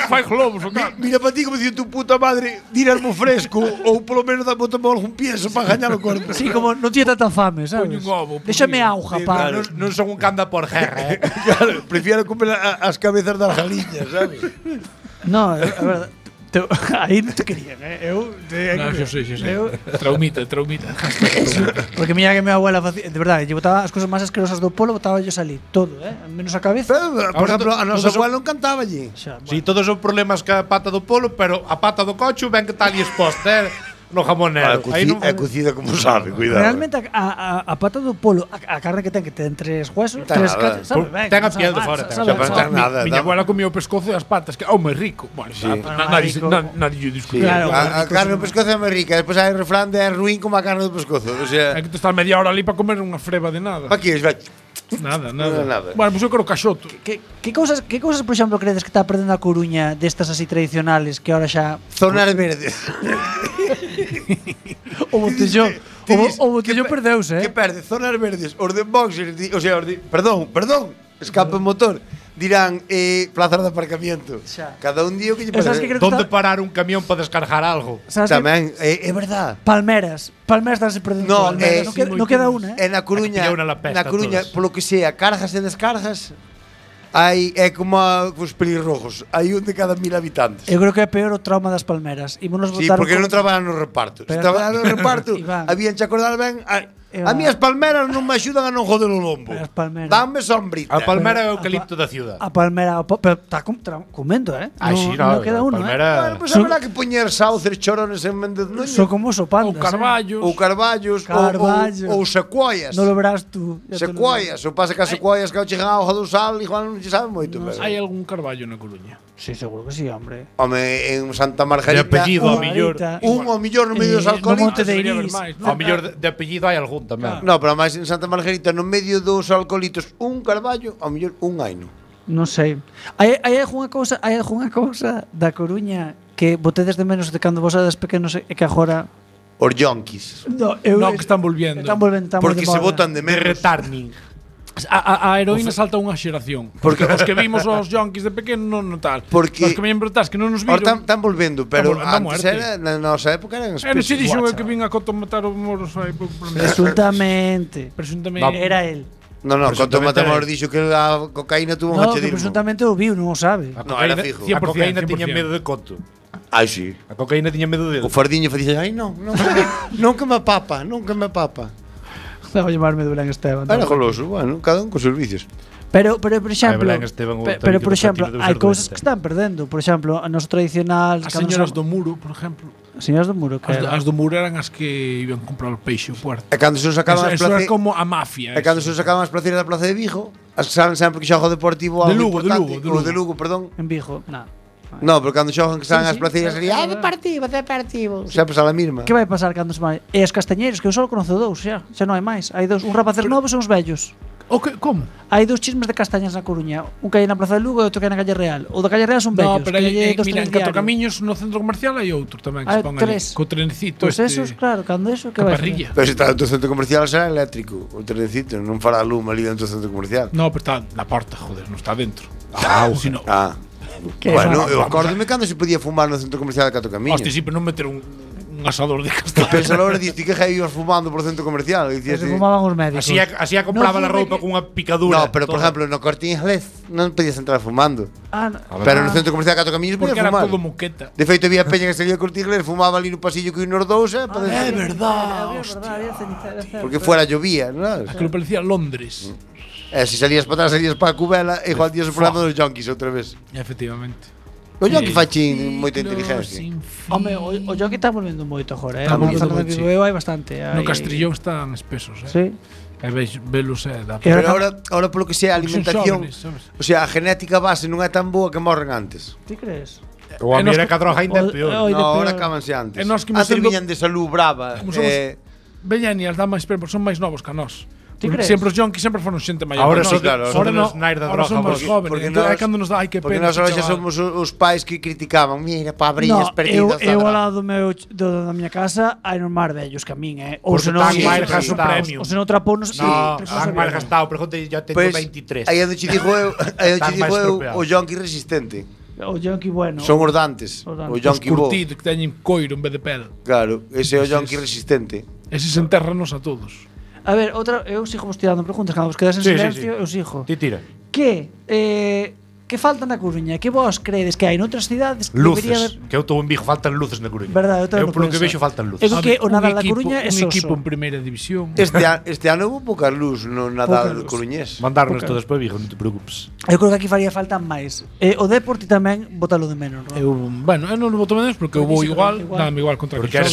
Fai globos, o can. Mira para ti como dicir tu puta madre, dirasmo fresco ou polo menos botame algún pieso para gañar o corpo. Sí, como non tiene tanta fame, sabes? Poño un ovo. Déxame auga, pa. Non son un canda por guerra, Claro, prefiero comer as cabezas das galiñas, sabes? No, a verdade. Aí non te querían, Eu Xa sei. Traumita. Porque mira que mi abuela facía, de verdade, lle botaba as cousas máis asquerosas do polo, botaba yo salir todo, menos a cabeza. Por exemplo, a nosa abuela non cantaba allí. Si, todos son problemas ca pata do polo, pero a pata do cocho ven que tal exposta, no jamonero. É cocida como sabe, cuidado. Realmente a pata do polo, a carne que ten tres huesos, tres cachos, sabe ben. Ten a piel de fora, Miña abuela comía o pescozo e as patas, que é moi rico. Bueno, nadie lle discute. A carne do pescozo é moi rica, despois hai o refrán de é ruín como a carne do pescozo. O sea, é que te estás media hora ali para comer unha freba de nada. Pa que vai? Nada. Bueno, pois eu quero caxoto. Que cousas, por exemplo, credes que está perdendo a Coruña destas así tradicionales que ahora xa zonas verdes? O botellón perdeuse, Que perde? Zonas verdes. Os de boxers, o sea, perdón, escape motor. Dirán plazas de aparcamiento. Cada un día que lle parece. Donde parar un camión para descargar algo. Tamén, é verdad. Palmeras estás perdendo. Non queda unha, Na Coruña, polo que sea, cargas e descargas, é como os pelirrojos. Hai un de cada 1000 habitantes. Eu creo que é peor o trauma das palmeras. Sí, porque non traballan no reparto. Se traballan no reparto, habían que acordar ben A mí as palmeras non me axudan a non joder o lombo. As palmeras. Dame sombrita. A palmera é o eucalipto da ciudad. A palmera, pero está comendo, Sí, no queda uno, palmera. Pois haberá que poñer sauces, chorones en Méndez Núñez. Son como sopandas. Ou carballos. Ou secuoias. Non lo verás tú. Secuoias. O pasa que as secuoias que chegan a auga do sal, igual non se sabe moito. Hai algún carballo na Coruña? Sí, seguro que sí, hombre. Home, en Santa Margarita. De apellido, ao millor. Ao millor no medio dos alcoholitos. No Monte de Iris. Ao millor de apellido hai algún tamén. No, pero máis en Santa Margarita, no medio dos alcoholitos, un carballo, ao mellor un aino. Non sei. Hai algunha cousa da Coruña que botedes de menos de cando vos eras pequenos e que agora Os yonquis. No, que están volviendo. Porque se botan de menos. De retarning. A heroína salta unha xeración. Porque os que vimos os yonkis de pequeno non tal. Porque os que viñen brotas que non nos viron. Están volvendo, pero antes era, na nosa época eran espesos. Se dixo que vin a Coto matar os moros aí pouco. Presuntamente. Era él. No, Coto Matamoros dixo que a cocaína tuvo un hachedismo. Presuntamente o viu, non o sabe. No, era fijo. A cocaína tiña medo de Coto. Ai, sí. A cocaína tiña medo dele. O fardiño facía, ai, non que me papa. Debo llamarme Belén Esteban. Era goloso, bueno, cada un con seus vicios. Pero por exemplo, hai cousas que están perdendo. Por exemplo, a noso tradicional, as señoras do muro, por exemplo. As señoras do muro, as do muro eran as que iban a comprar o peixe ao puerto. E cando se sacaban as plazas, como a mafia. E cando se sacaban as placeras da Plaza de Vigo, as que saben sempre que xoga o Deportivo de Lugo, perdón. En Vigo, nada. No, pero cando xogan que saben as placeiras sería Deportivo. Sempre a la misma. Que vai pasar cando se vai? E as castañeiros, que eu só conozo dous, xa non hai máis. Hai dous, un rapaces novos e uns vellos. Como? Hai dous chismes de castañas na Coruña, un que hai na Plaza de Lugo e outro que hai na Calle Real. O da Calle Real son vellos. No, pero mira, en Catro Camiños no centro comercial hai outro tamén que se pon ali. Co trenecito Pois esos, claro, cando eso que vai parrilla. Pero se está dentro do centro comercial será eléctrico. O trenecito non fará lume ali dentro do centro comercial. No, pero está na porta, joder, non está dentro. Bueno, eu acórdome cando se podía fumar no centro comercial de Catro Camiños. Hostia, sí, pero non meter un asador de castañas. Pensa a hora diste que ibas fumando por centro comercial. Se fumaban os médicos. Así compraba a roupa cunha picadura. No, pero por exemplo, no Corte Inglés non podías entrar fumando. Pero no centro comercial de Catro Camiños podías fumar. Porque era todo moqueta. De feito, había peña que salía do Corte Inglés, fumaba ali no pasillo que unos dous, É verdad. Porque fuera llovía, non? Que lo parecía Londres. Se salías para atrás, salías para a Cubela, e igual tías o programa dos yonkis outra vez. Efectivamente. O yonki fachin moita inteligencia. Home, o yonki está volvendo moito agora, eu hai bastante. No Castrillón están espesos, Sí. E velos Pero ahora polo que sea a alimentación, o sea, a genética base non é tan boa que morren antes. Ti crees? O a mira que a droga ainda é peor. No, ahora acabanse antes. Antes viñan de salud brava. Veñanias dá máis perto, son máis novos que a nós. Sempre os yonkis sempre foron xente maior. Ahora son os nais da droga. Somos jóvenes. É cando nos dá, ai que pena. Porque nós ahora xa somos os pais que criticaban. Mira, pabrillas perdidas. Eu ao lado da miña casa hai nos máis vellos que a min, Ou se non máis gasto premio. Ou se non trapounos. No, han máis gastado. Pregunte, eu teño 23. Aí onde che digo eu, o yonki resistente. O yonki bueno. Son os dantes. O yonki bo. Os curtidos que teñen coiro en vez de pel. Claro, ese é o yonki resistente. Ese se enterranos a todos. A ver, eu sigo vos tirando preguntas, cando vos quedas en silencio, eu sigo. Ti tira. Que falta na Coruña? Que vos credes que hai noutras cidades que debería haber? Que eu estou en Vigo, faltan luces na Coruña. Verdade, eu polo que vexo faltan luces. Eu que o Nadal da Coruña é soso. Un equipo en primeira división. Este ano houve pouca luz no Nadal coruñés. Mandarnos todos para Vigo, non te preocupes. Eu creo que aquí faría falta máis. O Deporte tamén botalo de menos, non? Eu non voto menos porque eu vou igual, dame igual contra porque el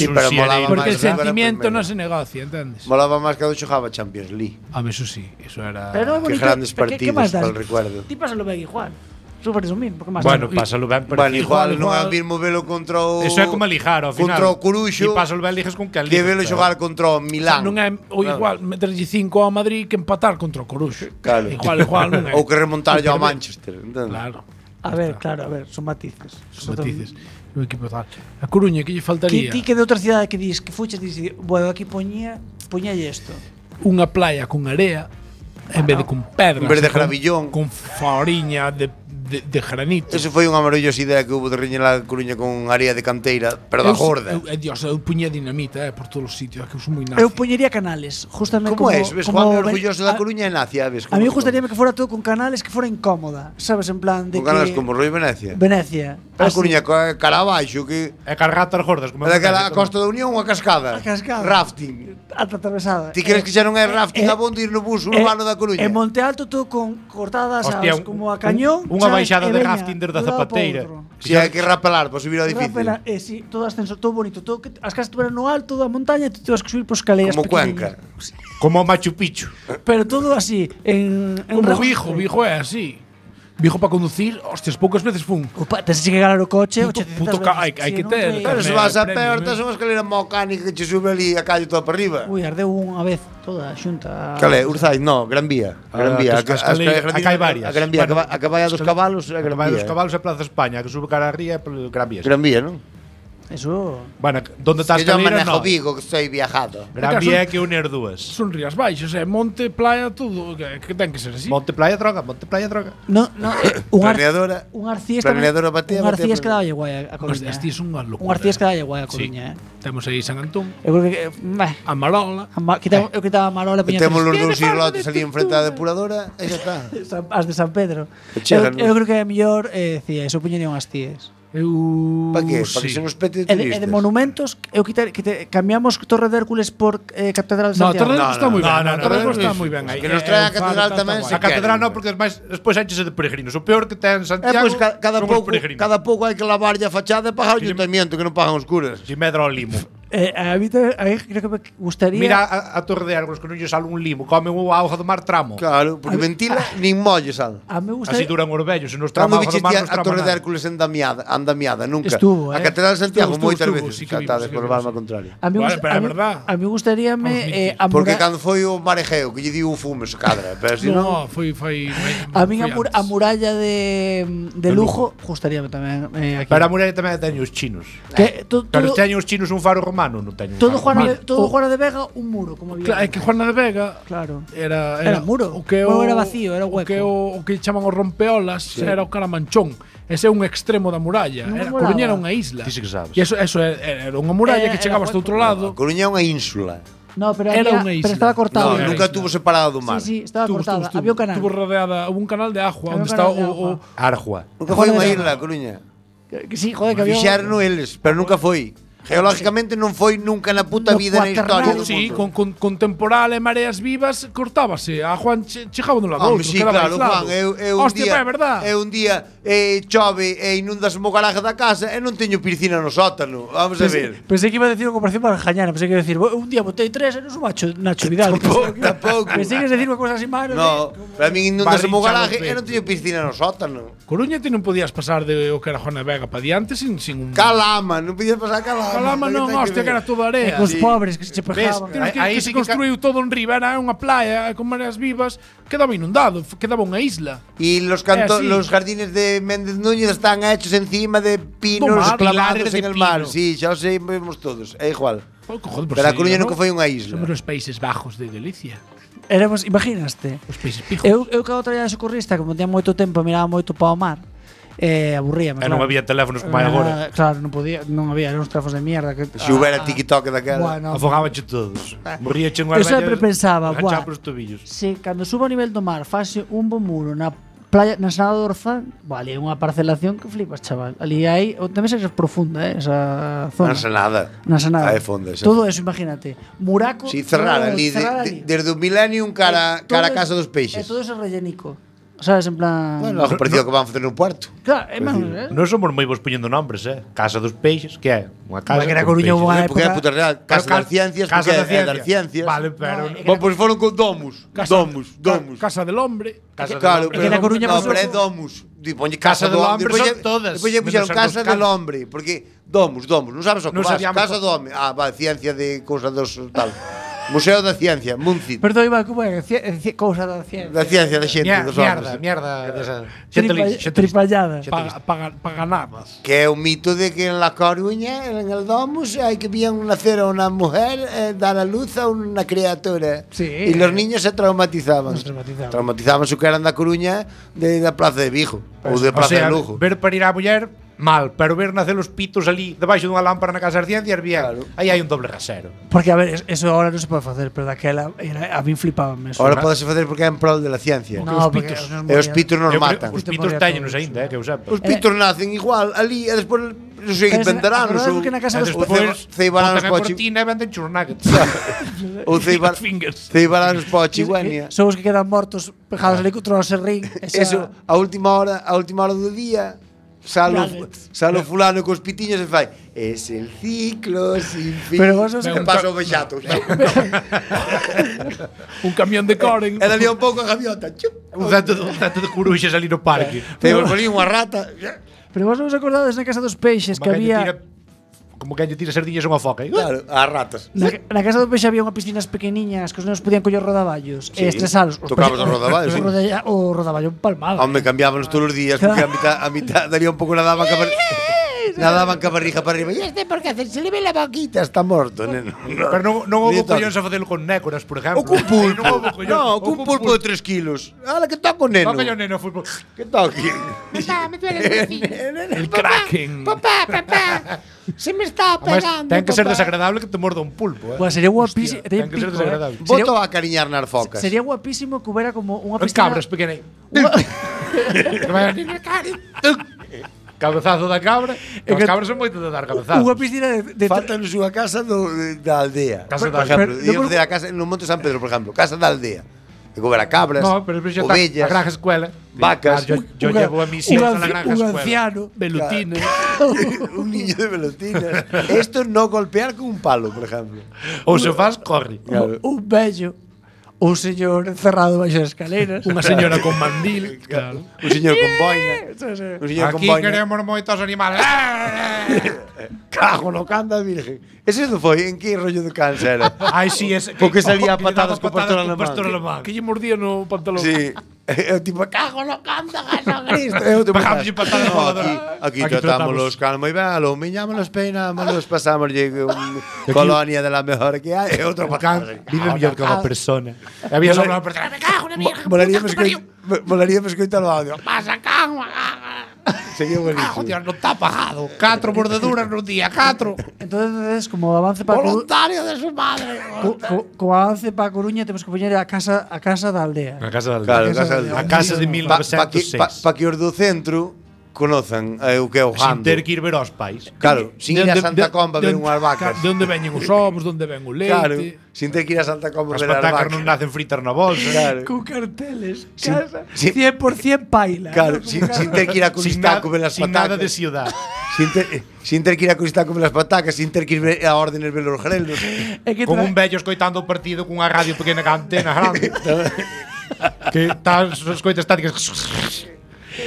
sentimiento non se negocia, entendes? Molaba máis cando xogaba Champions League. A mí eso sí, eso era que grandes partidos para el recuerdo. Ti pásalo ben igual. Super resumir, porque máis. Bueno, pásalo ben, pero igual non é o mismo velo contra o eso é como lijar ao final. Contra o Coruxo. E pásalo ben ligas con que que velo xogar contra o Milán. Non é o igual meterlle 5 ao Madrid que empatar contra o Coruxo. Claro. Igual non é. Ou que remontar ao Manchester, entendes? Claro. A ver, son matices. Son matices. O equipo tal. A Coruña que lle faltaría? Ti que de outra cidade que dis que fuches dis, bueno, aquí poñalle isto. Unha playa con area en vez de con pedras. En vez de gravillón. Con fariña de de granito. Eso foi unha maravillosa idea que hubo de rellenar a Coruña con area de canteira, pero da gorda. Dios, eu puñía dinamita por todos os sitios, que eu son moi nazi. Eu puñería canales, justamente como es? Ves, Juan orgulloso da Coruña e nacia, ves? A mí gustaríame que fora todo con canales que fora incómoda, sabes, en plan de con canales como Roi Venecia. Venecia. A Coruña cara abaixo que é cargatas gordas, como daquela a Costa da Unión, unha cascada. A cascada. Rafting. Ata atravesada. Ti crees que xa non é rafting abondo ir no bus urbano da Coruña? En Monte Alto todo con cortadas as como a cañón. Unha baixada de rafting desde a Zapateira. Si hai que rapelar para subir ao edificio. Rapelar, si, todo ascenso, todo bonito, todo que as casas estuveran no alto da montaña, tú tens que subir por escaleras como Cuenca. Como Machu Picchu. Pero todo así, como Vigo é así. Vigo para conducir, hostias, poucas veces fun. Opa, tens que galar o coche, hai que ter. Pero se vas a pé, tes unha escalera mecánica que che sube ali a calle toda para arriba. Ui, ardeu unha vez toda xunta. Cal é? Urzais? No, Gran Vía. Gran Vía. Acá hai varias. A Gran Vía, a caballa dos cabalos, a Gran Vía. A dos cabalos é Plaza España, que sube cara a ría polo Gran Vía. Gran Vía, non? Eso. Bueno, donde está a escalera, no. Vigo, que estoy viajado. Gran Vía é que unir dúas. Son rías baixas, monte, playa, todo, que ten que ser así. Monte, playa, droga, monte, playa, droga. No, planeadora. Un Arcíes batea. Un Arcíes que dalle guai a Coruña. Arcíes son unha locura. Un Arcíes que dalle guai a Coruña, Temos aí San Antón. Eu creo que a Marola. Eu quitaba a Marola, temos os dous islotes ali enfrente da depuradora e xa está. As de San Pedro. Eu creo que é mellor, decía, eso puñería unhas Arcíes. Para que? Para que se nos pete de turistas. E de monumentos, eu cambiamos Torre de Hércules por Catedral de Santiago. Torre de Hércules está moi ben. Torre de Hércules está moi ben. Que nos trae a Catedral tamén. A Catedral non, porque despois enchese de peregrinos. O peor que ten Santiago cada pouco hai que lavarlle a fachada e pagar o ayuntamiento, que non pagan os curas. Si medra o limo. A mí creo que me gustaría. Mira a Torre de Hércules, que non lle sale un limo, come o auga do mar tramo. Claro, porque ventila nin molle sal. Así duran os vellos, se nos trama auga do mar nos trama. A Torre de Hércules andamiada, nunca. Estuvo, a Catedral de Santiago moitas veces catadas por levarme a contraria. A mí gustaríame porque cando foi o mar Egeo que lle diu o fume se cadra, pero si non foi a min a muralla de Lugo gustaríame tamén aquí. Pero a muralla tamén teñen os chinos. Pero teñen os chinos un faro romano, non teñen. Todo Juana de Vega un muro, como había. Claro, é que Juana de Vega, claro, era muro. O que era vacío, era hueco. O que chaman os rompeolas, era o Caramanchón. Ese é un extremo da muralla. Coruña era unha isla. Ti sí que sabes. E eso era unha muralla que chegabas do outro lado. Coruña é unha ínsula. No, pero pero estaba cortado. Nunca tuvo separado do mar. Sí, estaba cortada. Había un canal. Tuvo rodeada, hubo un canal de agua onde está o Arjua. Nunca foi unha isla, Coruña. Que sí, joder, que había. Fixaron eles, pero nunca foi. Geológicamente non foi nunca na puta vida na historia do mundo. Sí, con temporal e mareas vivas cortábase. A Juan chegaba dun lado outro. Sí, claro, Juan, un día chove e inundas o garaje da casa e non teño piscina no sótano. Vamos a ver. Pensei que iba a decir unha comparación para Jañana. Pensei que iba a decir, un día botei 3 e non sou Nacho Vidal. Tampouco. Pensei que iba a decir unha cosa así máis. No, para min inundas o garaje e non teño piscina no sótano. Coruña ti non podías pasar de o que era Juana Vega para diante sin un... Calama, non podías pasar Calama. Calama non, hostia, que era toda area. Os pobres que se pejaban. Que se construiu todo en riba, era unha playa con mareas vivas, quedaba inundado, quedaba unha isla. E los jardines de Méndez Núñez están hechos encima de pinos clavados en el mar. Sí, xa o sei, vemos todos, é igual. Pero a Coruña nunca foi unha isla. Somos os Países Bajos de Galicia. Éramos, imaginaste. Os Países Pijos. Eu cando traía de socorrista, como tenía moito tempo, miraba moito para o mar. Aburríame. Non había teléfonos como hai agora. Claro, non había, eran uns teléfonos de mierda que se houbera TikTok daquela, afogábanche todos. Morríache unha Eu sempre pensaba, se cando subo ao nivel do mar, fase un bo muro na playa, na Ensenada do Orzán, ali hai unha parcelación que flipas, chaval. Ali hai, tamén é profunda, esa zona. Na Ensenada. Aí fonda. Todo eso, imagínate. Muraco. Si cerrar ali desde o Millennium cara a Casa dos Peixes. Todo eso rellenico. Sabes, en plan... Bueno, algo parecido que van facer no puerto. Claro, non somos moi bons poñendo nombres, Casa dos Peixes, que é? Unha casa que era Coruña unha época. Porque é puta real. Casa das Ciencias, porque é das Ciencias. Vale, pero... Pois foron con Domus. Casa del Hombre. Claro, pero na Coruña non, pero é Domus. Casa del Hombre son todas. Depois lle puxeron Casa del Hombre, porque Domus, non sabes o que vas. Casa do Home. Vale, ciencia de cousa dos tal. Museo da Ciencia, Muncit. Perdón, Iván, como é? Cousa da ciencia. Da ciencia da xente, dos homes. Mierda desa. Tripallada. Para ganadas. Que é un mito de que en La Coruña, en el Domus, hay que bien nacer a una mujer, dar a luz a una criatura. Sí. Y los niños se traumatizaban. Traumatizaban su que eran da Coruña de da Plaza de Vigo ou de Plaza de Lugo. Ver parir a muller, mal, pero ver nacer os pitos ali debaixo dunha lámpara na Casa das Ciencias, bien. Claro. Aí hai un doble rasero. Porque, a ver, eso ahora non se pode facer, pero daquela a mí flipábame eso. Ahora podese facer porque é en prol de la ciencia. No, porque porque E os pitos nos matan. Os pitos teñenos aínda, que eu sepa. Os pitos nacen igual ali e despois non sei, inventarán Acordades que na casa dos ceibarán os pochi. pochi. Cortina e venden churnuggets. Ou ceibarán os pochi, guenia. Son os que quedan mortos pegados ali contra o serrín. Eso, a última hora do día salo fulano cos pitiños e fai es el ciclo sin fin. Pero vos os que paso o bexato. Un camión de Coren. E dali un pouco a gaviota. Un tanto de curuxas ali no parque. Te volví unha rata. Pero vos non vos acordades na casa dos peixes que había Como que lle tira sardillas a unha foca. Claro, as ratas. na casa dos peixes había unhas piscinas pequeniñas que os nenos podían coller rodaballos e estresalos. Tocabas os rodaballos, sí. O rodaballo empalmado. Home, cambiábanos todos os días porque a mitad daría un pouco nadaban ca barriga para arriba. E este por que hacer? Se le ve la boquita, está morto, neno. Pero non houve collóns a facelo con nécoras, por exemplo. O cun pulpo. Non houve collóns. No, cun pulpo de 3 kilos. Ala, que toco, neno. Toca yo neno fútbol. Que toque. Papá, me duele el vecino. El Kraken. Papá. Se me está Además, pegando. ten que ser papá. desagradable que te morda un pulpo, Pues sería guapísimo. Hostia, ten que ser desagradable. Voto a cariñar nas focas. Sería guapísimo que hubiera como unha Os piscina. cabras pequenas. Que vayan cabezazo da cabra. E os cabras son moito de dar cabezazos. Unha piscina de Faltanos unha casa da aldea. Casa Por da exemplo, aldea. íamos facer a casa no Monte San Pedro, por exemplo, casa da aldea. Que coberá cabras, No, pero xa está a ovellas, granja escuela. vacas, Yo llevo a mis hijos a la granja un escuela. anciano. Velutines. un niño de velotinas. Esto no golpear con un palo, por ejemplo. Ou se faz, corre. Claro. Un bello. Un señor encerrado baixo as escaleras. Unha señora con mandil. Claro. Un señor con boina. Un señor con Aquí boina. queremos moitos animales. Cago no canda virgen. Ese non foi en que rollo de cáncer era. Ai, si, ese. Porque salía a que lle daba patadas con pastor alemán. alemán. Que lle mordía no pantalón. Sí. Eu tipo, cago no canta, Jesucristo. Eu te Pegamos y patadas no, voladoras. aquí tratamos los calmos y vealo, miñámonos, peinámonos, pasamos un colonia de la mejor que hai e outro patada. Vive mellor que unha persona. E había só unha persona. Me cago en la mierda. Molaríamos escoitar o audio. Pasa, cago. Sería Cago, buenísimo. Dios, non está pagado. 4 mordeduras nun día, 4. Entonces, como avance para Voluntario de su madre. como avance para Coruña, temos que poñer a casa da aldea. A casa da Claro, A casa de 1906. Pa que os do centro conozan o que é o Sin gando. ter que ir ver aos pais. Claro, sin ir a Santa Comba a ver unhas vacas. De onde veñen os ovos, de onde ven o leite. Claro, sin ter que ir a Santa Comba a As ver as patacas non vacas. nacen fritas na bolsa. Claro. Con carteles. Sin- Casa sin- 100% paila. Claro, ¿no? sin ter que ir a Curistaco a ver as sin nada de patacas. ciudad. Sin ter que ir a Curistaco a ver as patacas, sin ter que ir a órdenes ver os grelos. É que Con un vello escoitando o partido cunha radio pequena ca antena grande. Que tal as coitas estáticas.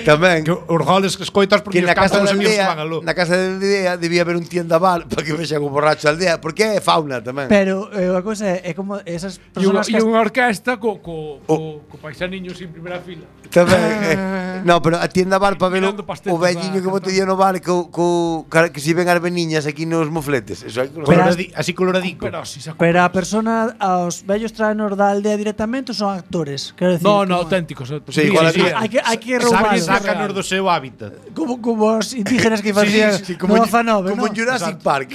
Tamén. Que os goles que escoitas porque Que na casa os da amigos aldea, van aló. na casa da aldea debía haber un tiendaval para que vexan o borracho da aldea, porque é fauna tamén. Pero a cousa é como esas E unha, personas que unha orquesta co paisaniños en primeira fila. Tamén. No, pero a tiendaval para ver Mirando pastetes o velliño que bote día no bar que si ven as veniñas aquí nos mofletes. Eso hai que Así coloradico. Pero si se Pero a persona, aos vellos traenos da aldea directamente ou son actores? Quero decir, No, como- no, auténticos. Sí, igual Sí, había- Hai que roubar. Sácanos do seu hábitat. Como os indígenas que facían como no Fanove, como ¿no? en Jurassic Park.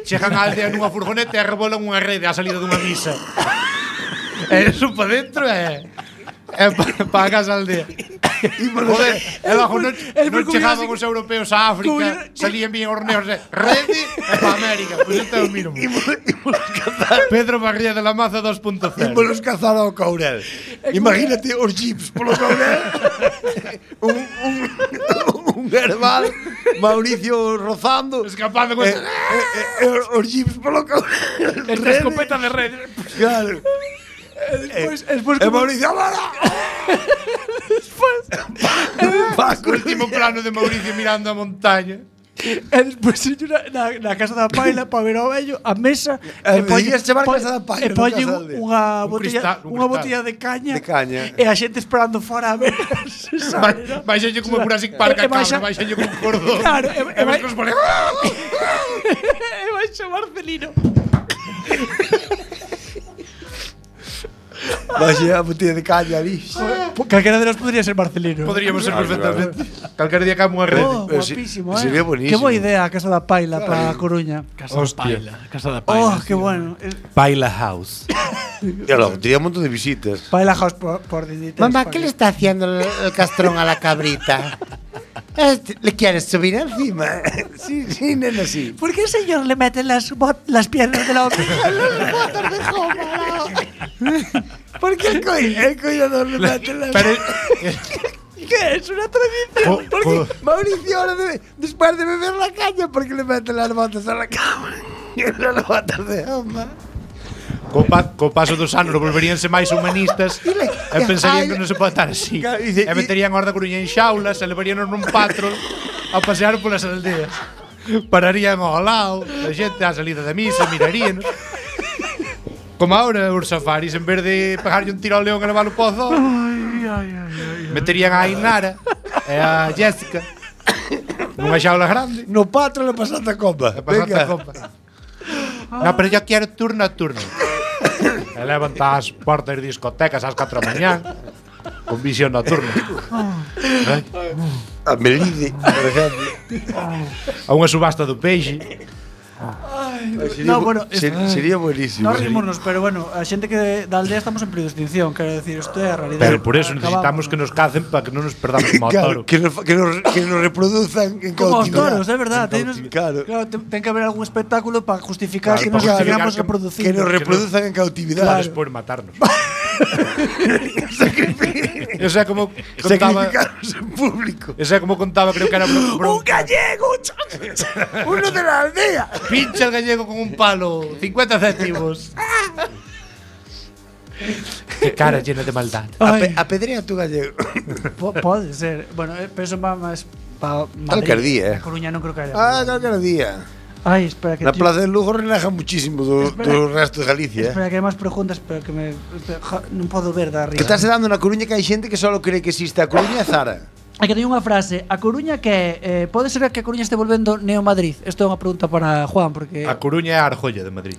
Chegan á aldea nunha furgoneta e rebolan unha rede á salida dunha misa. E eso pa dentro é pa a casa da aldea. Joder, e bajo non chegaban os europeos a África, salían bien os neos de rede e pa América. Pois este é o mínimo. Pedro Barría de la Maza 2.0. Ímolos cazar ao Caurel. Imagínate os jeeps polo Caurel. un herbal, Mauricio rozando, Escapando con os jeeps polo Caurel. Esta escopeta de red. Claro. Despois E Mauricio, ¡vámonos! o último plano de Mauricio mirando a montaña. E despois na casa da paila para ver ao vello a mesa Podías chamar casa da paila, e poñen non casa da aldea. unha botella de caña. De caña. E a xente esperando fora a ver se sale, ¿no? Baixenlle como Jurassic Park a cabra, baixenlle como un cordón. Claro, E ves que os pone... e baixa Marcelino. Baixe a botella de caña ali. Calquera de nós podría ser Marcelino. Podríamos ser perfectamente. Calquera día cae unha rede. Oh, guapísimo, sería buenísimo. Qué boa idea a casa da paila para a Coruña. Casa da Paila. Oh, qué bueno. Paila House. E logo, tenía un montón de visitas. Paila House por digital. Mamá, ¿qué le está haciendo el castrón a la cabrita? ¿Le quieres subir encima? Sí, nena, sí. ¿Por qué el señor le mete las piernas de la oveja en las botas de goma? ¿Por qué el cuidador le mete las... ¿Qué es una tradición? Porque Mauricio ahora después de beber la caña, ¿por qué le mete las botas a la cama? Las botas de goma. Co paso dos anos volveríanse máis humanistas e pensarían que non se pode estar así. E meterían a Horda Coruña en xaulas e levaríanos nun patrol a pasear polas aldeas. Pararían ao lado, a xente á salida da misa, miraríanos. Como ahora os safaris, en vez de pegarlle un tiro ao león e leválo pozo, meterían a Ainara e a Jessica nunha xaula grande. No patrol e pasando a copa. E pasando a copa. No, pero yo quiero turno a turno. E levan as portas de discotecas ás 4 da mañá con visión nocturna. A Melide, por exemplo. A unha subasta do peixe. Sería buenísimo. No rimos, pero bueno, a xente que da aldea estamos en período de extinción, quero decir, isto é a realidade. Pero por eso necesitamos que nos cacen para que non nos perdamos como Claro, toro. que nos reproduzcan en Como os cautividade. toros, é verdad. Claro. Ten que haber algún espectáculo para justificar que nos para sigamos justificar reproducindo. Que nos reproduzcan en cautividade. Para despois matarnos. Esa é como contaba, Sacrificarnos en público. esa é como contaba, creo que era ¡Un gallego! Uno de la aldea. Pincha el gallego con un palo, 50 céntimos. Qué cara llena de maldad. Apedrea tu gallego. Pode ser. Bueno, pero eso va máis para Calquer día, A Coruña non creo que haya. Calquer día. Ai, espera que Na Plaza de Lugo reneja muchísimo do resto de Galicia. Espera que hai máis preguntas, pero que non podo ver da arriba. Que estás dando na Coruña que hai xente que só cree que existe a Coruña e Zara. Hai que teño unha frase. A Coruña que pode ser que a Coruña este volvendo Neo Madrid. Isto é unha pregunta para Juan, porque A Coruña é a Arjolla de Madrid.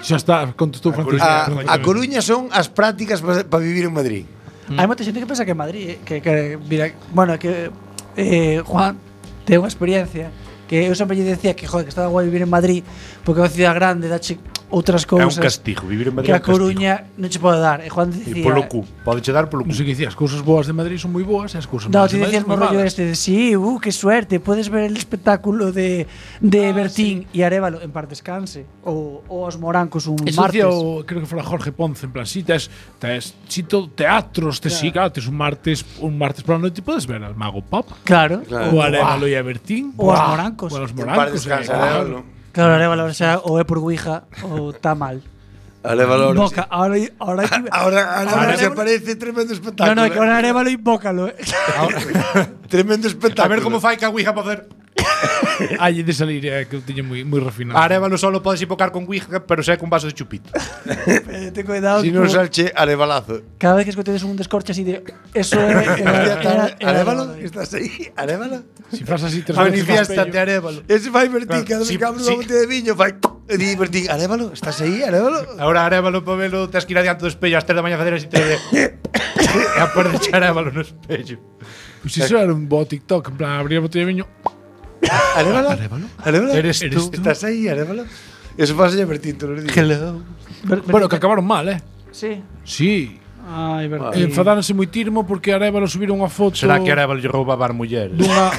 Xa está, contestou Francisco. A Coruña son as prácticas para vivir en Madrid. hai moita xente que pensa que é Madrid, que mira, bueno, que Juan ten unha experiencia que eu sempre lle decía que joder, que estaba guai vivir en Madrid porque é unha cidade grande, dache outras É cousas. un castigo, vivir en Madrid que é a un castigo. Coruña non che pode dar. E Juan E dicía polo cu, pode che dar polo cu. Non sei que dicía, as cousas boas de Madrid son moi boas e as cousas No, malas te de Madrid decías son mo moi rollo malas. este de sí, qué suerte, puedes ver el espectáculo de Bertín y Arévalo en paz descanse o os morancos un Eso martes. decía creo que fora Jorge Ponce, en plan, si tes si todo teatros, tes si, claro, tes un martes pola noite podes ver al Mago Pop, Claro. o Arévalo e a Bertín, O aos morancos. o a los En par morancos, descansa, claro. Claro, Arévalo, o sea, o é por Ouija ou está mal. Alévalo. Invoca, ahora Ahora se aparece tremendo espectáculo. No, que ahora Arévalo invócalo. Tremendo espectáculo. A ver como fai que a Ouija poder. Hai de salir, que eu tiño moi refinado. A Arévalo solo podes invocar con Ouija, pero se é con vaso de chupito. Ten cuidado. Si non salche Arévalazo. Cada vez que escoitedes un descorche así de eso é Arévalo, estás aí? Arévalo? Si fas así tres veces Manifiéstate, Arévalo. Ese fai Bertín, cada vez Sí, que abre sí. unha botella de viño, fai... E di Bertín, Arévalo, estás aí, Arévalo? Ahora Arévalo para velo, tes que ir adiante do espello ás 3 da mañá facer así te de. E a poder echar Arévalo no espello. Pois iso era un bo TikTok, en plan, abrir a botella de viño. Arévalo? Arévalo? Eres tú. Estás aí, Arévalo? Eso pasa Bertín todos os días. Hello. Bueno, que acabaron mal, Sí. Sí. Ai, Bertín. Enfadáronse moitirmo porque Arévalo subiron unha foto Será que Arévalo lle roubaba mulleres? dunha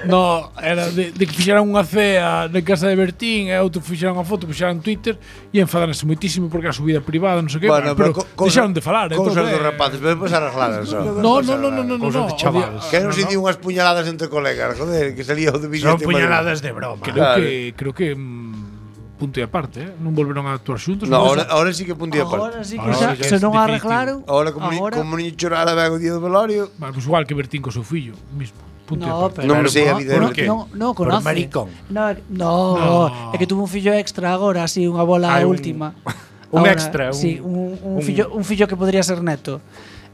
No, era de que fixeran unha cea na casa de Bertín e outro fixeran unha foto, fixeran en Twitter e enfadáronse moitísimo porque era subida privada, non sei que, Bueno, pero cousa- deixaron de falar, Cousas dos rapaces, pero despois arreglaran só. No, Cousas de chavales. Que non se di unhas puñaladas entre colegas, joder, que salía o de vídeo. Son puñaladas de broma. creo que punto e aparte, non volveron a actuar xuntos. No, pero ahora sí que puntía Agora aparte. sí que Ahora xa, sí que se é non definitivo. arreglaron. Ahora como niño chorara ben o día do velorio. Vale, pues igual que Bertín co seu fillo, mismo. No, pero Non me sei a vida ¿por de qué? non Por conoce. maricón. No, é que tuvo un fillo extra agora, así unha bola Hai un- última. un Ahora, extra, sí, un fillo que podría ser neto.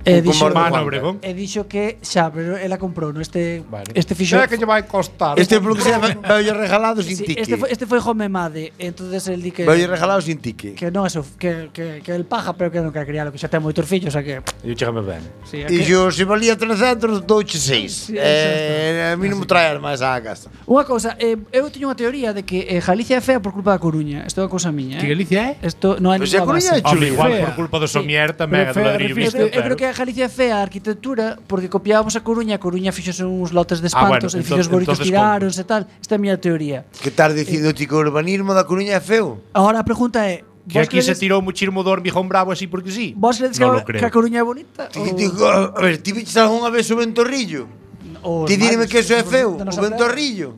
como Mano Obregón. E dixo que xa, pero ela comprou este Vale. fixo. Será que lle vai costar? Este polo que sea veulle regalado sin Sí, tique. este foi home made, entonces el di que Veulle regalado sin tique. que non eso, que el paja, pero que non quer crialo, que xa ten moitos fillos, o sea que Eu chégame ben. sí, E que, xo, se valía 300, douche 6. Sí, xa A mí non me traer máis á casa. unha cousa, eu teño unha teoría de que Galicia é fea por culpa da Coruña. Isto é unha cousa miña, Que Galicia é? Isto non hai Pois a ninguna Coruña base. é Hombre, igual fea. por culpa do somier Pero tamén, do fea, ladrillo refírese- visto. Eu creo que a Galicia é fea a arquitectura porque copiábamos a Coruña fixose uns lotes de espantos, bueno, edificios bonitos entonces tiráronse e tal. Esta é a miña teoría. Que tal dicindo ti que o urbanismo da Coruña é feo? Ahora a pregunta é, Que aquí se credes- tirou muchísimo do hormigón bravo así porque sí. Vos credes Non que lo creo. a Coruña é bonita? A ver, ti viches algunha vez o ventorrillo? Ou Ti dime que eso é feo, da o nosa ventorrillo.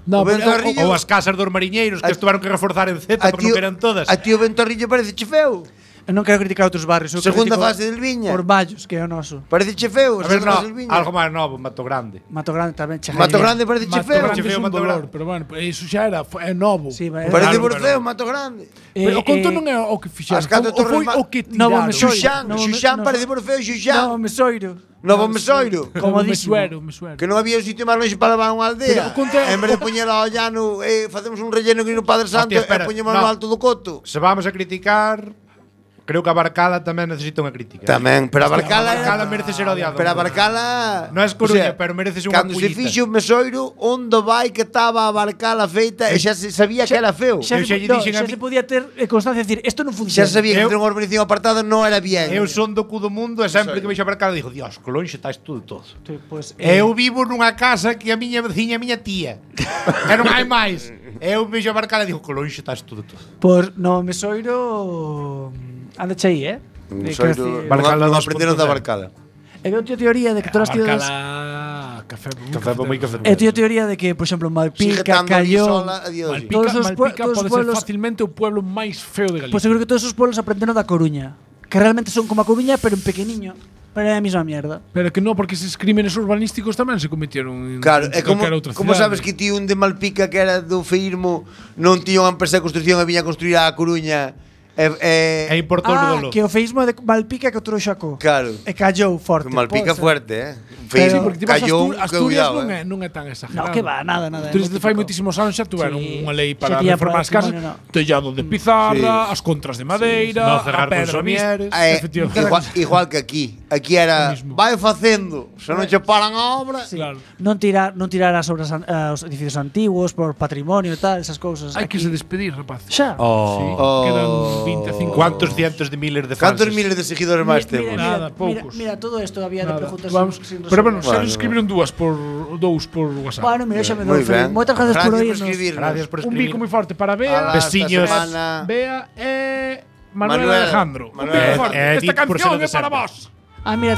No, O ventorrillo. Ou as casas dos mariñeiros que A- estuveron que reforzar en Z A porque non eran todas. A ti o ventorrillo parece che feo. Eu non quero criticar outros barrios. Eu Segunda critico fase del Viña. Por Vallos, que é o noso. Parece che feo. A ver, segunda fase del no, Viña. algo máis novo, Mato Grande. Mato Grande tamén che Mato Grande parece che Mato feo. Grande Che feo, é un Mato dolor, Grande. pero bueno, iso xa era, é novo. Sí, vale. Parece Claro, por pero- feo Mato Grande. Pero o conto non é o que fixeron, As catro o foi torres o que Novo tiraron. Mesoiro. Xuxán, No, Xuxán no, parece por feo Xuxán. No, Mesoiro. Novo Mesoiro. Comodísimo. Me suero. Que non había un sitio máis longe para levar unha Pero aldea. conta- En vez de poñela ao llano, facemos un relleno que no Padre Santo Hostia, espera, e poñemos no. no alto do coto. Se vamos a criticar, creo que a Barcala tamén necesita unha crítica. Tamén, pero a Barcala Barcala era... merece ser odiado. Pero a Barcala... Non é Coruña, pero mereces unha Cando se pullita. fixo o Mesoiro, onde vai que estaba a Barcala feita e xa se sabía que era feo. Xa, Eu se, xa lle no, dixen xa a mi- se podía ter constancia de decir, isto non Xa funciona. sabía que Eu- ter unha urbanización apartada non era bien. Eu son do cu do mundo e sempre que vexo a Barcala digo, Dios, que longe está isto de todo. Pues, Eu vivo nunha casa que a miña veciña é miña tía. E non hai máis. Eu vexo a Barcala e digo, que longe está isto de todo. Pues no Mesoiro anda aí, Mesoiro, Barcala non 2.0. aprenderon da Barcala. Eu teño teoría de que todas as cidades Barcala, café, Café moi café. Eu teño teoría de que, por exemplo, Sigue Malpica, estando ali Callón, sola a día de hoxe. Malpica, Todos os Malpica todos os pode ser pueblos- facilmente o pueblo máis feo de Galicia. Pois eu creo que todos os pueblos aprenderon da Coruña, que realmente son como a Coruña, pero en pequeniño. Pero é a mesma mierda. Pero que non, porque eses crímenes urbanísticos tamén se cometieron en Claro, é como, calquera outra como cidade. sabes que ti un de Malpica que era do feísmo non tiña unha empresa de construcción e viña a construir a Coruña E importou no dolo. Que o feísmo de Malpica que o trouxo a Claro. E callou forte. Que Malpica pode ser. fuerte, Sí, Feísmo, porque ti vas a callou, Asturias cuidado, non é tan exagerado. No, que va, nada. Asturias é de fai moi moitísimos anos xa tuveron Sí, unha lei xa para tiña reformar as casas, patrimonio, no. tellado de pizarra, as contras de madeira, No a cegar con pedra somieres. vista, efectivamente. igual que aquí. Aquí era, O mismo. vai facendo, se non che paran a obra. Sí. Claro. Non tirar as obras os edificios antiguos por patrimonio e tal, esas cousas. Hai que Aquí- se despedir, rapaz. Xa. Sí, Oh. quedan 25. Cuántos cientos de miles de fans. Cantos miles de seguidores máis temos? Nada, poucos. Mira, todo isto había de Nada. preguntas Vamos, sin pero bueno, xa Bueno, nos escribiron dous por WhatsApp. Bueno, mira, xa me Moi dou. ben. Moitas gracias por oírnos. escribirnos. Gracias por Un escribir. bico moi forte para Bea, Ala, esta Besiños. semana- Bea e Manuel Manuel. Alejandro. Un Manuel. bico forte. Edith, Esta por ser canción de é para sempre. vos. Ah, mira,